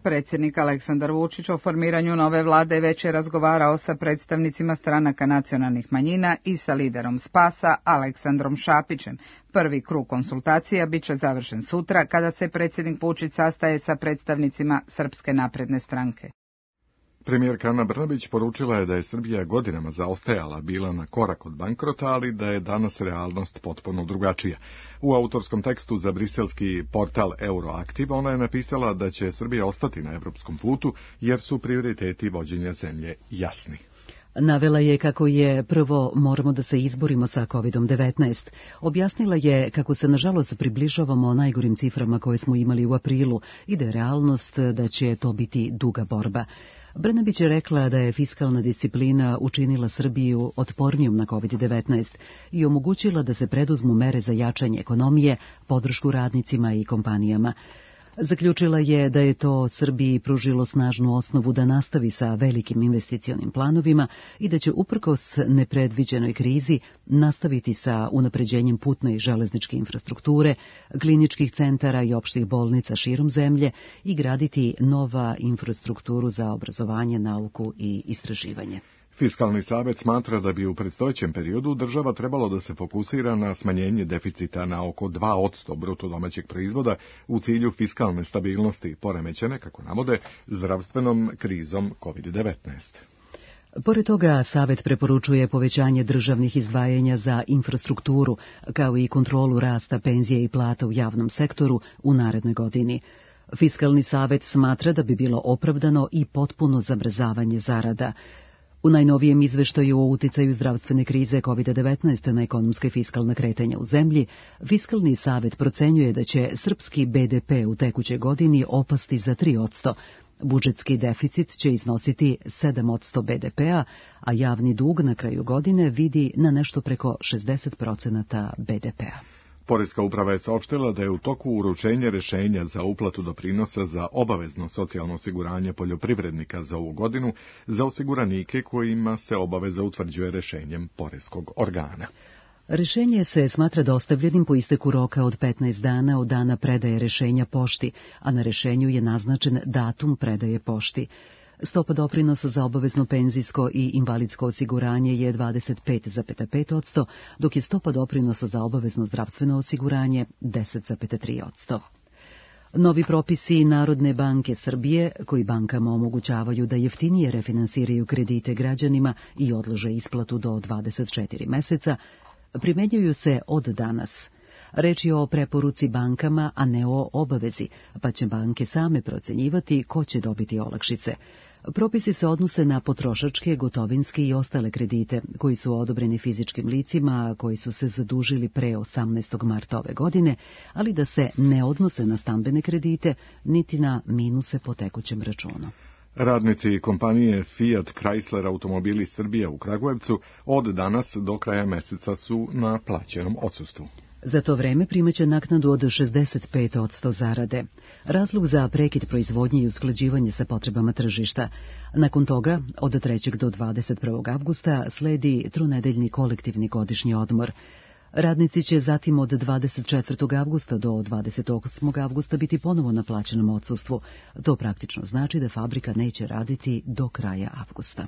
Speaker 16: Predsjednik Aleksandar Vučić o formiranju nove vlade već je razgovarao sa predstavnicima stranaka nacionalnih manjina i sa liderom SPAS-a Aleksandrom Šapićem. Prvi krug konsultacija bit će završen sutra kada se predsjednik Vučić sastaje sa predstavnicima Srpske napredne stranke.
Speaker 2: Premijerka Ana Brnabić poručila je da je Srbija godinama zaostajala, bila na korak od bankrota, ali da je danas realnost potpuno drugačija. U autorskom tekstu za briselski portal Euroaktiv ona je napisala da će Srbija ostati na evropskom putu jer su prioriteti vođenja zemlje jasni.
Speaker 1: Navela je kako je prvo moramo da se izborimo sa COVID-19. Objasnila je kako se nažalost približavamo najgorim ciframa koje smo imali u aprilu i da je realnost da će to biti duga borba. Brnabić je rekla da je fiskalna disciplina učinila Srbiju otpornijom na COVID-19 i omogućila da se preduzmu mere za jačanje ekonomije, podršku radnicima i kompanijama. Zaključila je da je to Srbiji pružilo snažnu osnovu da nastavi sa velikim investicionim planovima i da će uprkos nepredviđenoj krizi nastaviti sa unapređenjem putne i železničke infrastrukture, kliničkih centara i opštih bolnica širom zemlje i graditi nova infrastrukturu za obrazovanje, nauku i istraživanje.
Speaker 2: Fiskalni savet smatra da bi u predstojećem periodu država trebalo da se fokusira na smanjenje deficita na oko 2% bruto domaćeg proizvoda u cilju fiskalne stabilnosti poremećene, kako navode, zdravstvenom krizom COVID-19.
Speaker 1: Pored toga, Savet preporučuje povećanje državnih izdvajanja za infrastrukturu, kao i kontrolu rasta penzije i plata u javnom sektoru u narednoj godini. Fiskalni savet smatra da bi bilo opravdano i potpuno zamrzavanje zarada. U najnovijem izveštaju o uticaju zdravstvene krize COVID-19 na ekonomska i fiskalna kretanja u zemlji, Fiskalni savet procenjuje da će srpski BDP u tekućoj godini opasti za 3%, budžetski deficit će iznositi 7% BDP-a, a javni dug na kraju godine vidi na nešto preko 60% BDP-a.
Speaker 2: Poreska uprava je saopštila da je u toku uručenje rešenja za uplatu doprinosa za obavezno socijalno osiguranje poljoprivrednika za ovu godinu za osiguranike kojima se obaveza utvrđuje rešenjem poreskog organa.
Speaker 1: Rešenje se smatra dostavljenim po isteku roka od 15 dana od dana predaje rešenja pošti, a na rešenju je naznačen datum predaje pošti. Stopa doprinosa za obavezno penzijsko i invalidsko osiguranje je 25,5%, dok je stopa doprinosa za obavezno zdravstveno osiguranje 10,3%. Novi propisi Narodne banke Srbije, koji bankama omogućavaju da jeftinije refinansiraju kredite građanima i odlože isplatu do 24 meseca, primenjuju se od danas. Reč je o preporuci bankama, a ne o obavezi, pa će banke same procenjivati ko će dobiti olakšice. Propisi se odnose na potrošačke, gotovinske i ostale kredite, koji su odobreni fizičkim licima koji su se zadužili pre 18. marta ove godine, ali da se ne odnose na stambene kredite, niti na minuse po tekućem računu.
Speaker 2: Radnici kompanije Fiat Chrysler Automobili Srbije u Kragujevcu od danas do kraja meseca su na plaćenom odsustvu.
Speaker 1: Za to vreme primaće naknadu od 65% zarade. Razlog za prekid proizvodnje i usklađivanje sa potrebama tržišta. Nakon toga, od 3. do 21. avgusta, sledi tronedeljni kolektivni godišnji odmor. Radnici će zatim od 24. avgusta do 28. avgusta biti ponovo na plaćenom odsustvu. To praktično znači da fabrika neće raditi do kraja avgusta.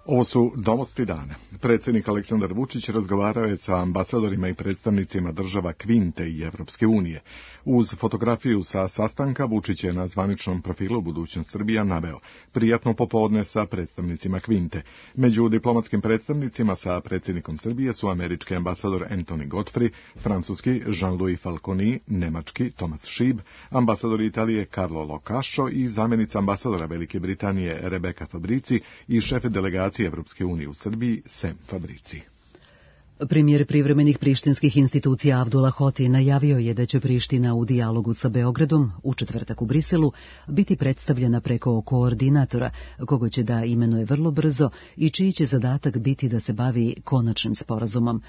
Speaker 2: Ovo su novosti dana. Predsjednik Aleksandar Vučić razgovarao je sa ambasadorima i predstavnicima država Kvinte i Evropske unije. Uz fotografiju sa sastanka Vučić je na zvaničnom profilu Budućnost Srbija naveo prijatno popodne sa predstavnicima Kvinte. Među diplomatskim predstavnicima sa predsjednikom Srbije su američki ambasador Anthony Godfrey, francuski Jean-Louis Falconi, nemački Thomas Schieb, ambasador Italije Carlo Locascio i zamjenica ambasadora Velike Britanije Rebecca Fabrici i šef delegacije Evropske unije u Srbiji Sem Fabrici.
Speaker 1: Premijer privremenih prištinskih institucija Abdullah Hoti najavio je da će Priština u dijalogu sa Beogradom u četvrtak u Briselu biti predstavljena preko koordinatora, koga će da imenuje vrlo brzo i čiji će zadatak biti da se bavi konačnim sporazumom.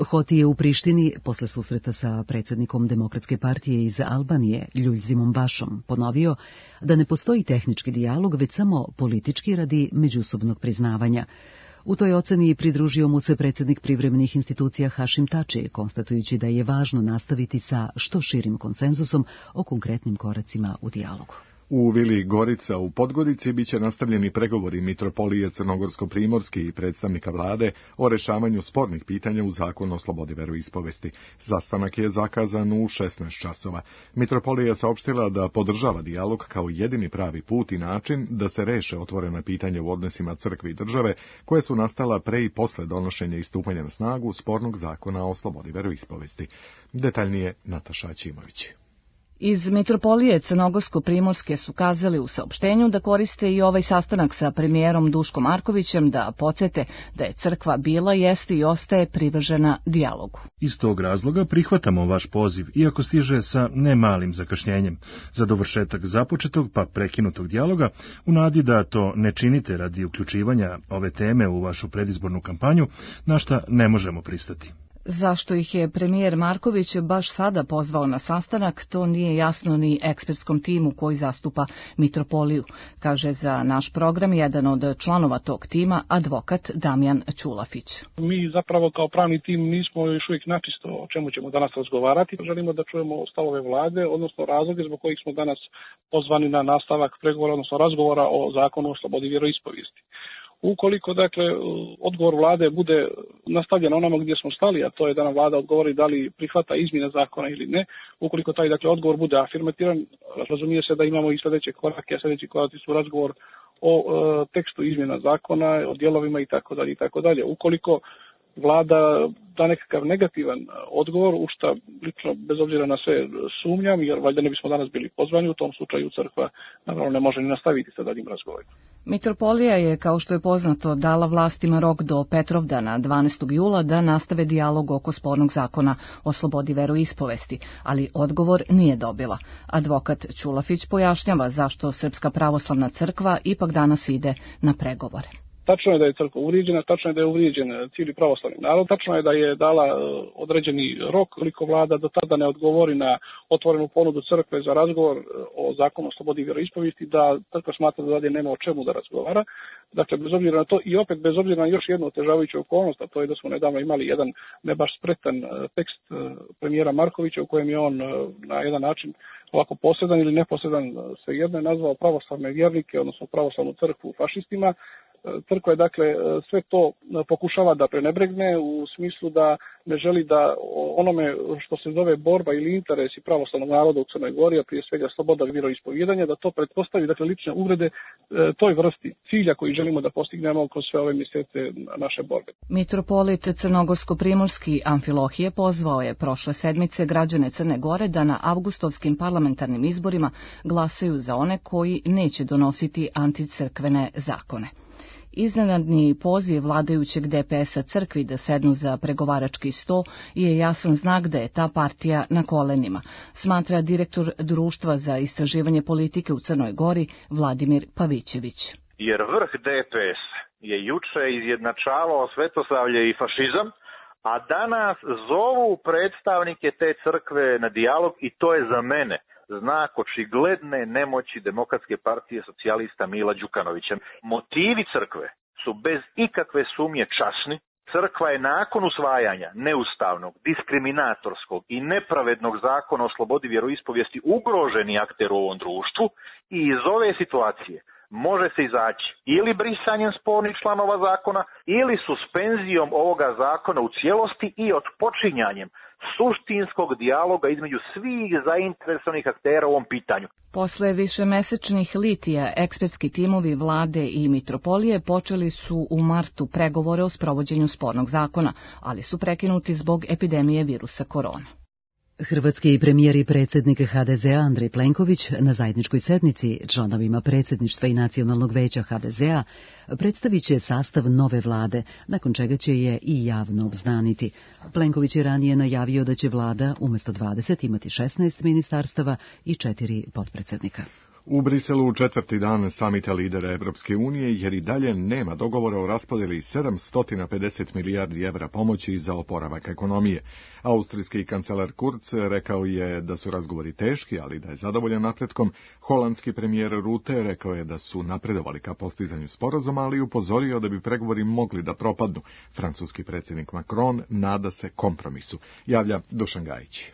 Speaker 1: Hoti je u Prištini, posle susreta sa predsjednikom Demokratske partije iz Albanije, Ljuljzimom Bašom, ponovio da ne postoji tehnički dijalog, već samo politički radi međusobnog priznavanja. U toj oceni pridružio mu se predsjednik privremenih institucija Hašim Tači, konstatujući da je važno nastaviti sa što širim konsenzusom o konkretnim koracima u dijalogu.
Speaker 2: U Vili Gorica u Podgorici biće nastavljeni pregovori mitropolije Crnogorsko-Primorski i predstavnika vlade o rešavanju spornih pitanja u zakonu o slobodi veroispovesti. Sastanak je zakazan u 16 časova. Mitropolija je saopštila da podržava dijalog kao jedini pravi put i način da se reše otvorena pitanja u odnosima crkve i države koje su nastala pre i posle donošenja i stupanja na snagu spornog zakona o slobodi veroispovesti. Detaljnije Nataša Ćimović.
Speaker 18: Iz Mitropolije Crnogorsko-Primorske su kazali u saopštenju da koriste i ovaj sastanak sa premijerom Duškom Markovićem da podsete da je crkva bila, jeste i ostaje privržena dijalogu.
Speaker 19: Iz tog razloga prihvatamo vaš poziv, iako stiže sa ne malim zakašnjenjem, za dovršetak započetog pa prekinutog dijaloga, u nadi da to ne činite radi uključivanja ove teme u vašu predizbornu kampanju, na šta ne možemo pristati.
Speaker 18: Zašto ih je premijer Marković baš sada pozvao na sastanak, to nije jasno ni ekspertskom timu koji zastupa Mitropoliju, kaže za naš program jedan od članova tog tima, advokat Damjan Ćulafić.
Speaker 20: Mi zapravo kao pravni tim nismo još uvijek načisto o čemu ćemo danas razgovarati. Želimo da čujemo stavove vlade, odnosno razloge zbog kojih smo danas pozvani na nastavak pregovora, odnosno razgovora o zakonu o slobodi vjeroispovijesti. Ukoliko, dakle, odgovor vlade bude nastavljen onamo gdje smo stali, a to je da nam vlada odgovori da li prihvata izmjene zakona ili ne, ukoliko taj, dakle, odgovor bude afirmativan, razumije se da imamo i sljedeće korake, a sljedeći koraci su razgovor o tekstu izmjena zakona, o dijelovima itd. Ukoliko vlada da nekakav negativan odgovor, u što lično bez obzira na sve sumnjam, jer valjda ne bismo danas bili pozvani, u tom slučaju crkva naravno ne može ni nastaviti sa daljim razgovorima.
Speaker 18: Mitropolija je, kao što je poznato, dala vlastima rok do Petrovdana 12. jula da nastave dijalog oko spornog zakona o slobodi veroispovesti, ali odgovor nije dobila. Advokat Ćulafić pojašnjava zašto Srpska pravoslavna crkva ipak danas ide na pregovore.
Speaker 20: Tačno je da je crkva uvrijeđena, tačno je da je uvrijeđen cijeli pravoslavni narod, tačno je da je dala određeni rok, koliko vlada do tada ne odgovori na otvorenu ponudu crkve za razgovor o zakonu o slobodi vjeroispovijesti, da crkva smatra da dalje nema o čemu da razgovara. Dakle, bez obzira na to i opet bez obzira na još jednu otežavajuću okolnost, a to je da smo nedavno imali jedan ne baš spretan tekst premijera Markovića u kojem je on na jedan način ovako posredan ili neposredan svejedno je nazvao pravoslavne vjernike, odnosno pravoslavnu crkvu fašistima. Crkva je, dakle, sve to pokušava da prenebregne u smislu da ne želi da onome što se zove borba ili interesi pravoslavnog naroda u Crnoj Gori, a prije svega sloboda vjeroispovijedanja, da to pretpostavi, dakle, lične uvrede toj vrsti cilja koji želimo da postignemo kroz sve ove mjesece naše borbe.
Speaker 18: Mitropolit Crnogorsko-primorski Amfilohije pozvao je prošle sedmice građane Crne Gore da na avgustovskim parlamentarnim izborima glasaju za one koji neće donositi anticrkvene zakone. Iznenadni poziv vladajućeg DPS-a crkvi da sednu za pregovarački sto je jasan znak da je ta partija na kolenima, smatra direktor Društva za istraživanje politike u Crnoj Gori Vladimir Pavićević.
Speaker 21: Jer vrh DPS je juče izjednačavao svetosavlje i fašizam, a danas zovu predstavnike te crkve na dijalog i to je za mene znak očigledne nemoći Demokratske partije socijalista Mila Đukanovića. Motivi crkve su bez ikakve sumnje časni. Crkva je nakon usvajanja neustavnog, diskriminatorskog i nepravednog zakona o slobodi vjeroispovijesti ugroženi akter u ovom društvu i iz ove situacije može se izaći ili brisanjem spornih članova zakona ili suspenzijom ovoga zakona u cijelosti i odpočinjanjem suštinskog dijaloga između svih zainteresovanih aktera u ovom pitanju.
Speaker 18: Posle višemesečnih litija, ekspertski timovi vlade i mitropolije počeli su u martu pregovore o sprovođenju spornog zakona, ali su prekinuti zbog epidemije virusa korona.
Speaker 1: Hrvatski premijer i predsjednik HDZ-a Andrej Plenković na zajedničkoj sednici članovima predsjedništva i Nacionalnog veća HDZ-a predstavit će sastav nove vlade, nakon čega će je i javno obznaniti. Plenković je ranije najavio da će vlada umjesto 20 imati 16 ministarstava i 4 potpredsjednika.
Speaker 2: U Briselu četvrti dan samita lidera Evropske unije, jer i dalje nema dogovora o raspodjeli 750 milijardi evra pomoći za oporavak ekonomije. Austrijski kancelar Kurz rekao je da su razgovori teški, ali da je zadovoljan napretkom. Holandski premijer Rutte rekao je da su napredovali ka postizanju sporazuma, ali upozorio da bi pregovori mogli da propadnu. Francuski predsjednik Macron nada se kompromisu. Javlja Dušan Gajić.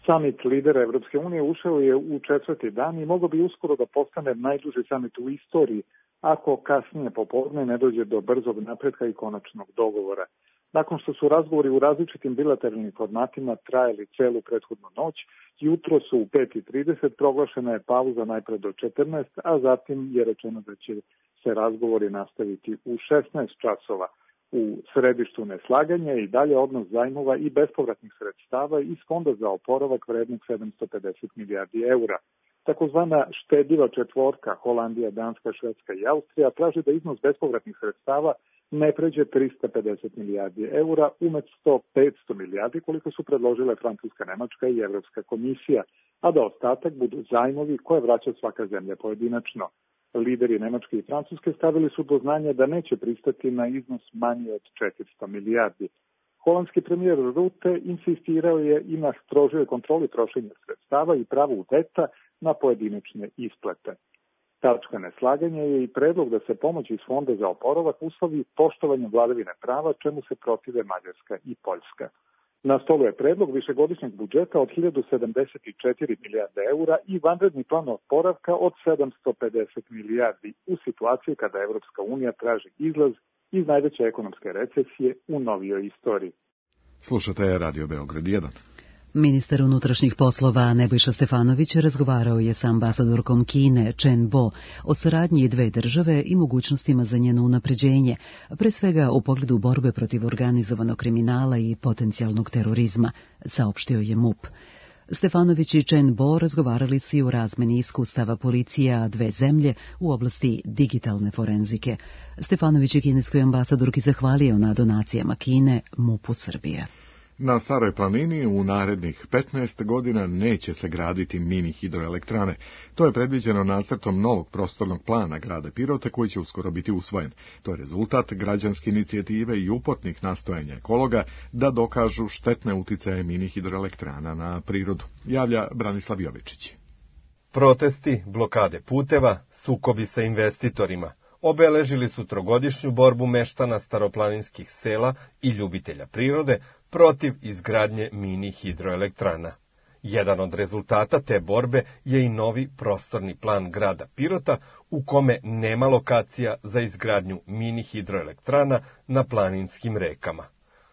Speaker 22: Samit lidera Evropske unije ušao je u četvrti dan i mogao bi uskoro da postane najduži samit u istoriji, ako kasnije popodne ne dođe do brzog napretka i konačnog dogovora. Nakon što su razgovori u različitim bilateralnim formatima trajali celu prethodnu noć, jutro su u 5:30 proglašena je pauza najpre do 14, a zatim je rečeno da će se razgovori nastaviti u 16 časova. U središtu neslaganja i dalje odnos zajmova i bespovratnih sredstava iz Fonda za oporavak vrednog 750 milijardi eura. Takozvana štedljiva četvorka Holandija, Danska, Švedska i Austrija traži da iznos bespovratnih sredstava ne pređe 350 milijardi eura umjesto 500 milijardi koliko su predložile Francuska, Nemačka i Evropska komisija, a da ostatak budu zajmovi koje vraća svaka zemlja pojedinačno. Lideri Nemačke i Francuske stavili su do znanja da neće pristati na iznos manji od 400 milijardi. Holandski premijer Rutte insistirao je i na strožoj kontroli trošenja sredstava i pravu veta na pojedinačne isplate. Tačka neslaganja je i predlog da se pomoć iz Fonda za oporavak uslovi poštovanjem vladavine prava, čemu se protive Mađarska i Poljska. Na stolu je predlog višegodišnjeg budžeta od 1074 milijarde eura i vanredni plan oporavka od 750 milijardi u situaciji kada Evropska unija traži izlaz iz najveće ekonomske recesije u novijoj istoriji.
Speaker 2: Slušate Radio Beograd 1.
Speaker 1: Ministar unutrašnjih poslova Nebojša Stefanović razgovarao je sa ambasadorkom Kine Chen Bo o saradnji dve države i mogućnostima za njeno unapređenje, pre svega u pogledu borbe protiv organizovanog kriminala i potencijalnog terorizma, saopštio je MUP. Stefanović i Chen Bo razgovarali su i o razmeni iskustava policija dve zemlje u oblasti digitalne forenzike. Stefanović je kineskoj ambasadorki zahvalio na donacijama Kine MUP-u Srbije.
Speaker 2: Na Staroj planini u narednih 15 godina neće se graditi mini hidroelektrane. To je predviđeno nacrtom novog prostornog plana grada Pirota koji će uskoro biti usvojen. To je rezultat građanske inicijative i upotnih nastojanja ekologa da dokažu štetne uticaje mini hidroelektrana na prirodu, javlja Branislav Jovičić.
Speaker 3: Protesti, blokade puteva, sukobi sa investitorima obeležili su trogodišnju borbu meštana staroplaninskih sela i ljubitelja prirode protiv izgradnje mini hidroelektrana. Jedan od rezultata te borbe je i novi prostorni plan grada Pirota u kome nema lokacija za izgradnju mini hidroelektrana na planinskim rekama.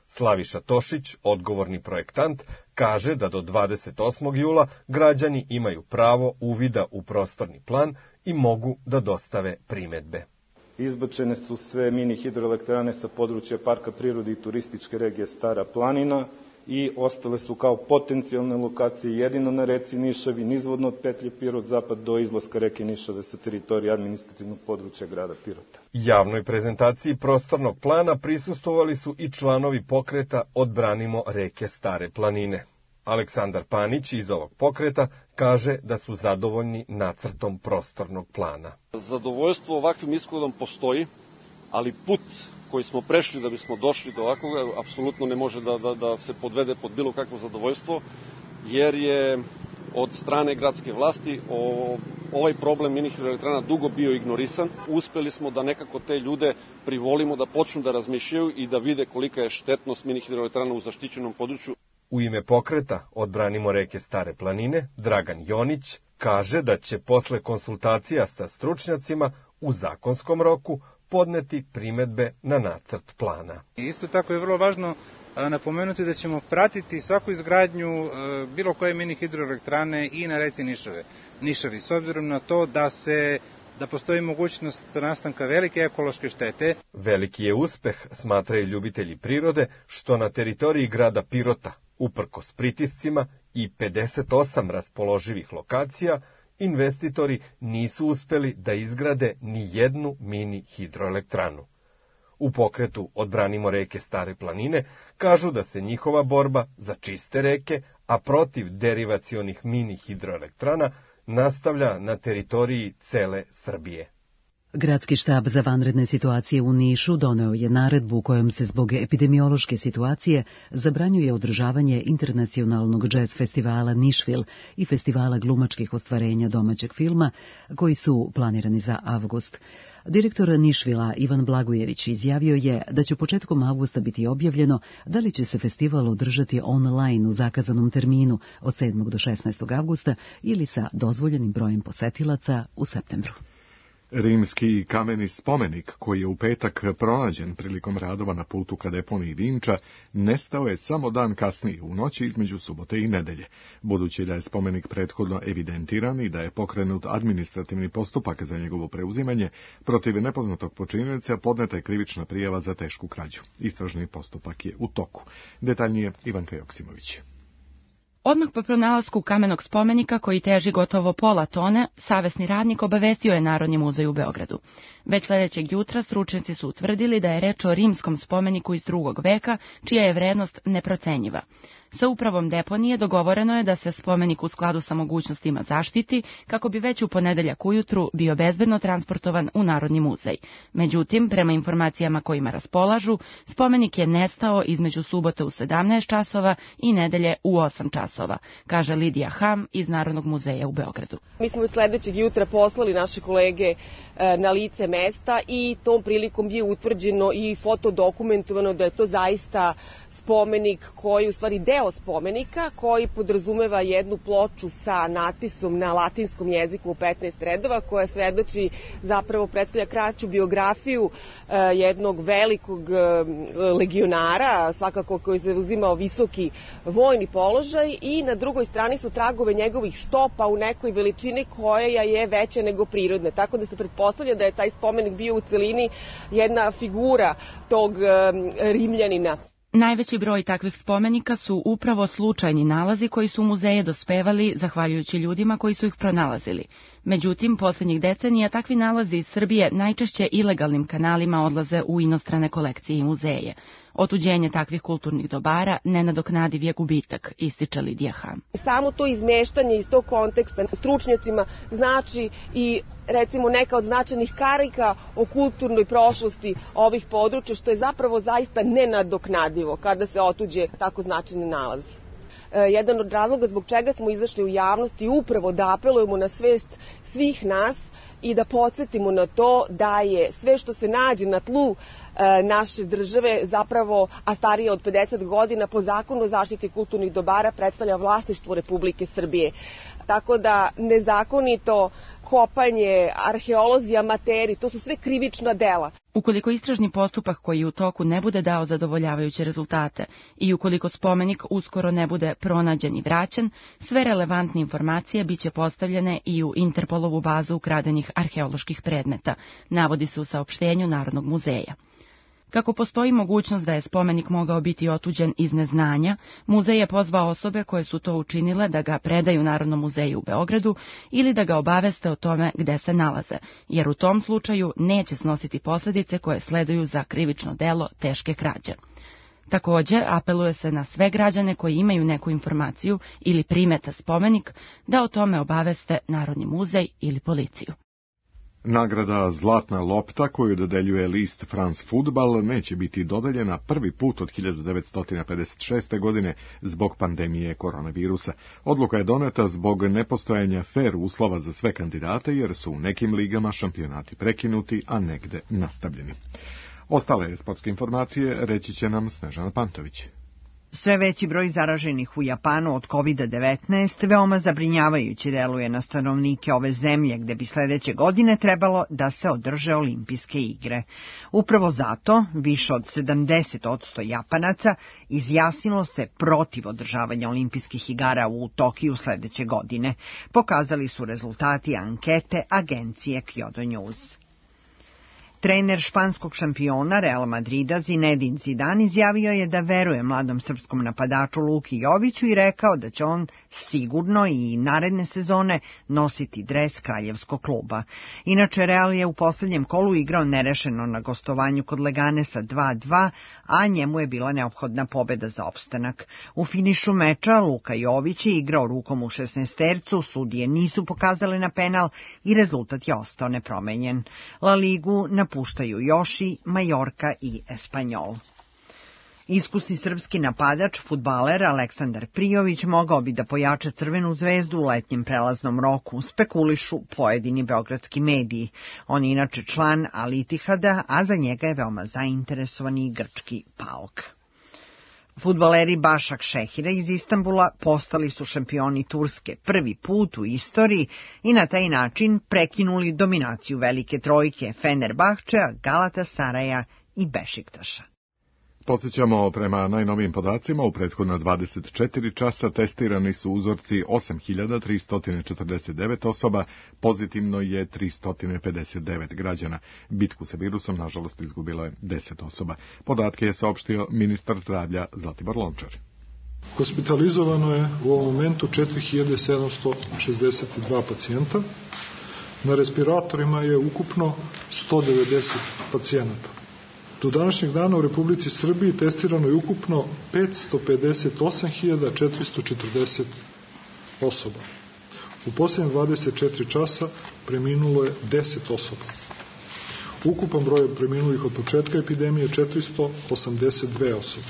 Speaker 3: Slaviša Tošić, odgovorni projektant, kaže da do 28. jula građani imaju pravo uvida u prostorni plan i mogu da dostave primedbe.
Speaker 5: Izbačene su sve mini hidroelektrane sa područja Parka prirode i turističke regije Stara planina i ostale su kao potencijalne lokacije jedino na reci Nišavi, nizvodno od petlje Pirot zapad do izlaska reke Nišave sa teritorije administrativnog područja grada Pirota.
Speaker 3: Javnoj prezentaciji prostornog plana prisustvovali su i članovi pokreta Odbranimo reke Stare planine. Aleksandar Panić iz ovog pokreta kaže da su zadovoljni nacrtom prostornog plana.
Speaker 23: Zadovoljstvo ovakvim ishodom postoji, ali put koji smo prešli da bismo došli do ovakvog apsolutno ne može da se podvede pod bilo kakvo zadovoljstvo, jer je od strane gradske vlasti ovaj problem mini hidroelektrana dugo bio ignorisan. Uspeli smo da nekako te ljude privolimo da počnu da razmišljaju i da vide kolika je štetnost mini hidroelektrana u zaštićenom području.
Speaker 3: U ime pokreta Odbranimo reke Stare planine, Dragan Jonić kaže da će posle konsultacija sa stručnjacima u zakonskom roku podneti primedbe na nacrt plana.
Speaker 24: Isto tako je vrlo važno napomenuti da ćemo pratiti svaku izgradnju bilo koje mini hidroelektrane i na reci Nišavi, s obzirom na to da postoji mogućnost nastanka velike ekološke štete.
Speaker 3: Veliki je uspeh, smatraju ljubitelji prirode, što na teritoriji grada Pirota, uprkos pritiscima i 58 raspoloživih lokacija, investitori nisu uspeli da izgrade ni jednu mini hidroelektranu. U pokretu Odbranimo reke Stare planine kažu da se njihova borba za čiste reke, a protiv derivacionih mini hidroelektrana, nastavlja na teritoriji cele Srbije.
Speaker 1: Gradski štab za vanredne situacije u Nišu doneo je naredbu kojom se zbog epidemiološke situacije zabranjuje održavanje internacionalnog džez festivala Nišvil i festivala glumačkih ostvarenja domaćeg filma, koji su planirani za avgust. Direktor Nišvila Ivan Blagojević izjavio je da će početkom avgusta biti objavljeno da li će se festival održati online u zakazanom terminu od 7. do 16. avgusta ili sa dozvoljenim brojem posetilaca u septembru.
Speaker 2: Rimski kameni spomenik, koji je u petak pronađen prilikom radova na putu ka deponiji Vinča, nestao je samo dan kasnije, u noći između subote i nedelje. Budući da je spomenik prethodno evidentiran i da je pokrenut administrativni postupak za njegovo preuzimanje, protiv nepoznatog počinioca podneta je krivična prijava za tešku krađu. Istražni postupak je u toku. Detaljnije Ivanka Joksimović.
Speaker 25: Odmah po pronalasku kamenog spomenika, koji teži gotovo pola tone, savesni radnik obavestio je Narodni muzej u Beogradu. Već sledećeg jutra stručnjaci su utvrdili da je reč o rimskom spomeniku iz 2. veka, čija je vrednost neprocenjiva. Sa upravom deponije dogovoreno je da se spomenik u skladu sa mogućnostima zaštiti kako bi već u ponedeljak ujutru bio bezbedno transportovan u Narodni muzej. Međutim, prema informacijama kojima raspolažu, spomenik je nestao između subote u 17 časova i nedelje u 8 časova, kaže Lidija Ham iz Narodnog muzeja u Beogradu.
Speaker 4: Mi smo od sledećeg jutra poslali naše kolege na lice mesta i tom prilikom je utvrđeno i fotodokumentovano da je to zaista spomenik koji, u stvari deo spomenika, koji podrazumeva jednu ploču sa natpisom na latinskom jeziku u 15 redova, koja svedoči, zapravo predstavlja kraću biografiju jednog velikog legionara, svakako koji je zauzimao visoki vojni položaj, i na drugoj strani su tragove njegovih stopa u nekoj veličini koja je veća nego prirodna. Tako da se pretpostavlja da je taj spomenik bio u celini jedna figura tog Rimljanina.
Speaker 25: Najveći broj takvih spomenika su upravo slučajni nalazi koji su u muzeje dospevali zahvaljujući ljudima koji su ih pronalazili. Međutim, posljednjih decenija takvi nalazi iz Srbije najčešće ilegalnim kanalima odlaze u inostrane kolekcije i muzeje. Otuđenje takvih kulturnih dobara nenadoknadiv je gubitak, ističe Lidija Ham.
Speaker 4: Samo to izmeštanje iz tog konteksta stručnjacima znači i recimo neka od značajnih karika o kulturnoj prošlosti ovih područja, što je zapravo zaista nenadoknadivo kada se otuđe tako značajni nalazi. Jedan od razloga zbog čega smo izašli u javnost i upravo da apelujemo na svest svih nas i da podsjetimo na to da je sve što se nađe na tlu naše države zapravo, a starije od 50 godina, po zakonu o zaštiti kulturnih dobara predstavlja vlasništvo Republike Srbije. Tako da nezakonito kopanje, arheolozi, amateri, to su sve krivična dela.
Speaker 25: Ukoliko istražni postupak koji je u toku ne bude dao zadovoljavajuće rezultate i ukoliko spomenik uskoro ne bude pronađen i vraćen, sve relevantne informacije biće postavljene i u Interpolovu bazu ukradenih arheoloških predmeta, navodi se u saopštenju Narodnog muzeja. Kako postoji mogućnost da je spomenik mogao biti otuđen iz neznanja, muzej je pozvao osobe koje su to učinile da ga predaju Narodnom muzeju u Beogradu ili da ga obaveste o tome gde se nalaze, jer u tom slučaju neće snositi posljedice koje sleduju za krivično delo teške krađe. Također, apeluje se na sve građane koji imaju neku informaciju ili primeta spomenik da o tome obaveste Narodni muzej ili policiju.
Speaker 2: Nagrada Zlatna lopta koju dodeljuje list France Football neće biti dodeljena prvi put od 1956. godine zbog pandemije koronavirusa. Odluka je doneta zbog nepostojanja fer uslova za sve kandidate jer su u nekim ligama šampionati prekinuti, a negde nastavljeni. Ostale sportske informacije reći će nam Snežana Pantović.
Speaker 7: Sve veći broj zaraženih u Japanu od COVID-19 veoma zabrinjavajuće deluje na stanovnike ove zemlje, gde bi sledeće godine trebalo da se održe olimpijske igre. Upravo zato više od 70% Japanaca izjasnilo se protiv održavanja olimpijskih igara u Tokiju sledeće godine, pokazali su rezultati ankete agencije Kyodo News. Trener španskog šampiona Real Madrida Zinedine Zidane izjavio je da veruje mladom srpskom napadaču Luki Joviću i rekao da će on sigurno i naredne sezone nositi dres kraljevskog kluba. Inače, Real je u poslednjem kolu igrao nerešeno na gostovanju kod Leganesa 2-2, a njemu je bila neophodna pobeda za opstanak. U finišu meča Luka Jović je igrao rukom u 16-tercu, sudije nisu pokazale na penal i rezultat je ostao nepromenjen. La Ligu napuštaju još i Majorka i Espanjol. Iskusni srpski napadač, fudbaler Aleksandar Prijović mogao bi da pojača Crvenu zvezdu u letnjem prelaznom roku, spekulišu pojedini beogradski mediji. On je inače član Al Ittihada, a za njega je veoma zainteresovan i grčki PAOK. Fudbaleri Başak Šehira iz Istanbula postali su šampioni Turske prvi put u istoriji i na taj način prekinuli dominaciju velike trojke Fenerbahčea, Galatasaraja i Bešiktaša.
Speaker 2: Podsjećamo, prema najnovijim podacima, u prethodno 24 časa testirani su uzorci 8.349 osoba, pozitivno je 359 građana. Bitku sa virusom, nažalost, izgubilo je 10 osoba. Podatke je saopštio ministar zdravlja Zlatibor Lončar.
Speaker 6: Hospitalizovano je u ovom momentu 4.762 pacijenta. Na respiratorima je ukupno 190 pacijenata. Do današnjeg dana u Republici Srbiji testirano je ukupno 558.440 osoba. U posljednje 24 časa preminulo je 10 osoba. Ukupan broj preminulih od početka epidemije je 482 osobe.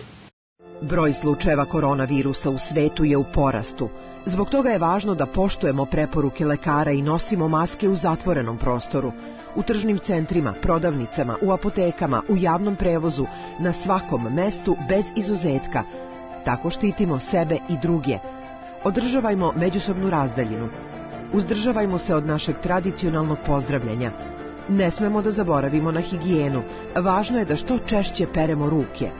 Speaker 9: Broj slučajeva koronavirusa u svetu je u porastu. Zbog toga je važno da poštujemo preporuke lekara i nosimo maske u zatvorenom prostoru, u tržnim centrima, prodavnicama, u apotekama, u javnom prevozu, na svakom mestu bez izuzetka. Tako štitimo sebe i druge. Održavajmo međusobnu razdaljinu. Uzdržavajmo se od našeg tradicionalnog pozdravljanja. Ne smemo da zaboravimo na higijenu. Važno je da što češće peremo ruke.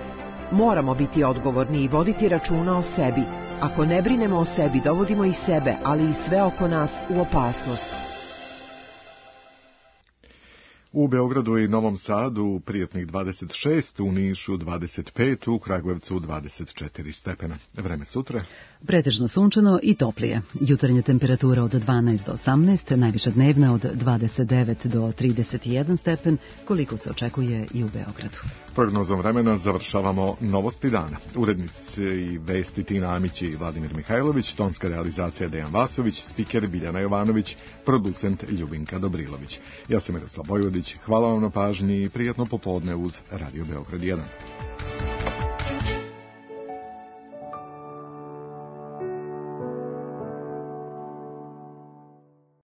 Speaker 9: Moramo biti odgovorni i voditi računa o sebi. Ako ne brinemo o sebi, dovodimo i sebe, ali i sve oko nas u opasnost.
Speaker 2: U Beogradu i Novom Sadu prijatnih 26, u Nišu 25, u Kragujevcu 24 stepena. Vreme sutra?
Speaker 1: Pretežno sunčano i toplije. Jutarnja temperatura od 12 do 18, najviša dnevna od 29 do 31 stepen, koliko se očekuje i u Beogradu.
Speaker 2: Prognozom vremena završavamo novosti dana. Urednici i vesti Tina Amić i Vladimir Mihajlović, tonska realizacija Dejan Vasović, spiker Biljana Jovanović, producent Ljubinka Dobrilović. Ja sam Miroslav Bojvodić, hvala vam na pažnji i prijatno popodne uz Radio Beograd 1.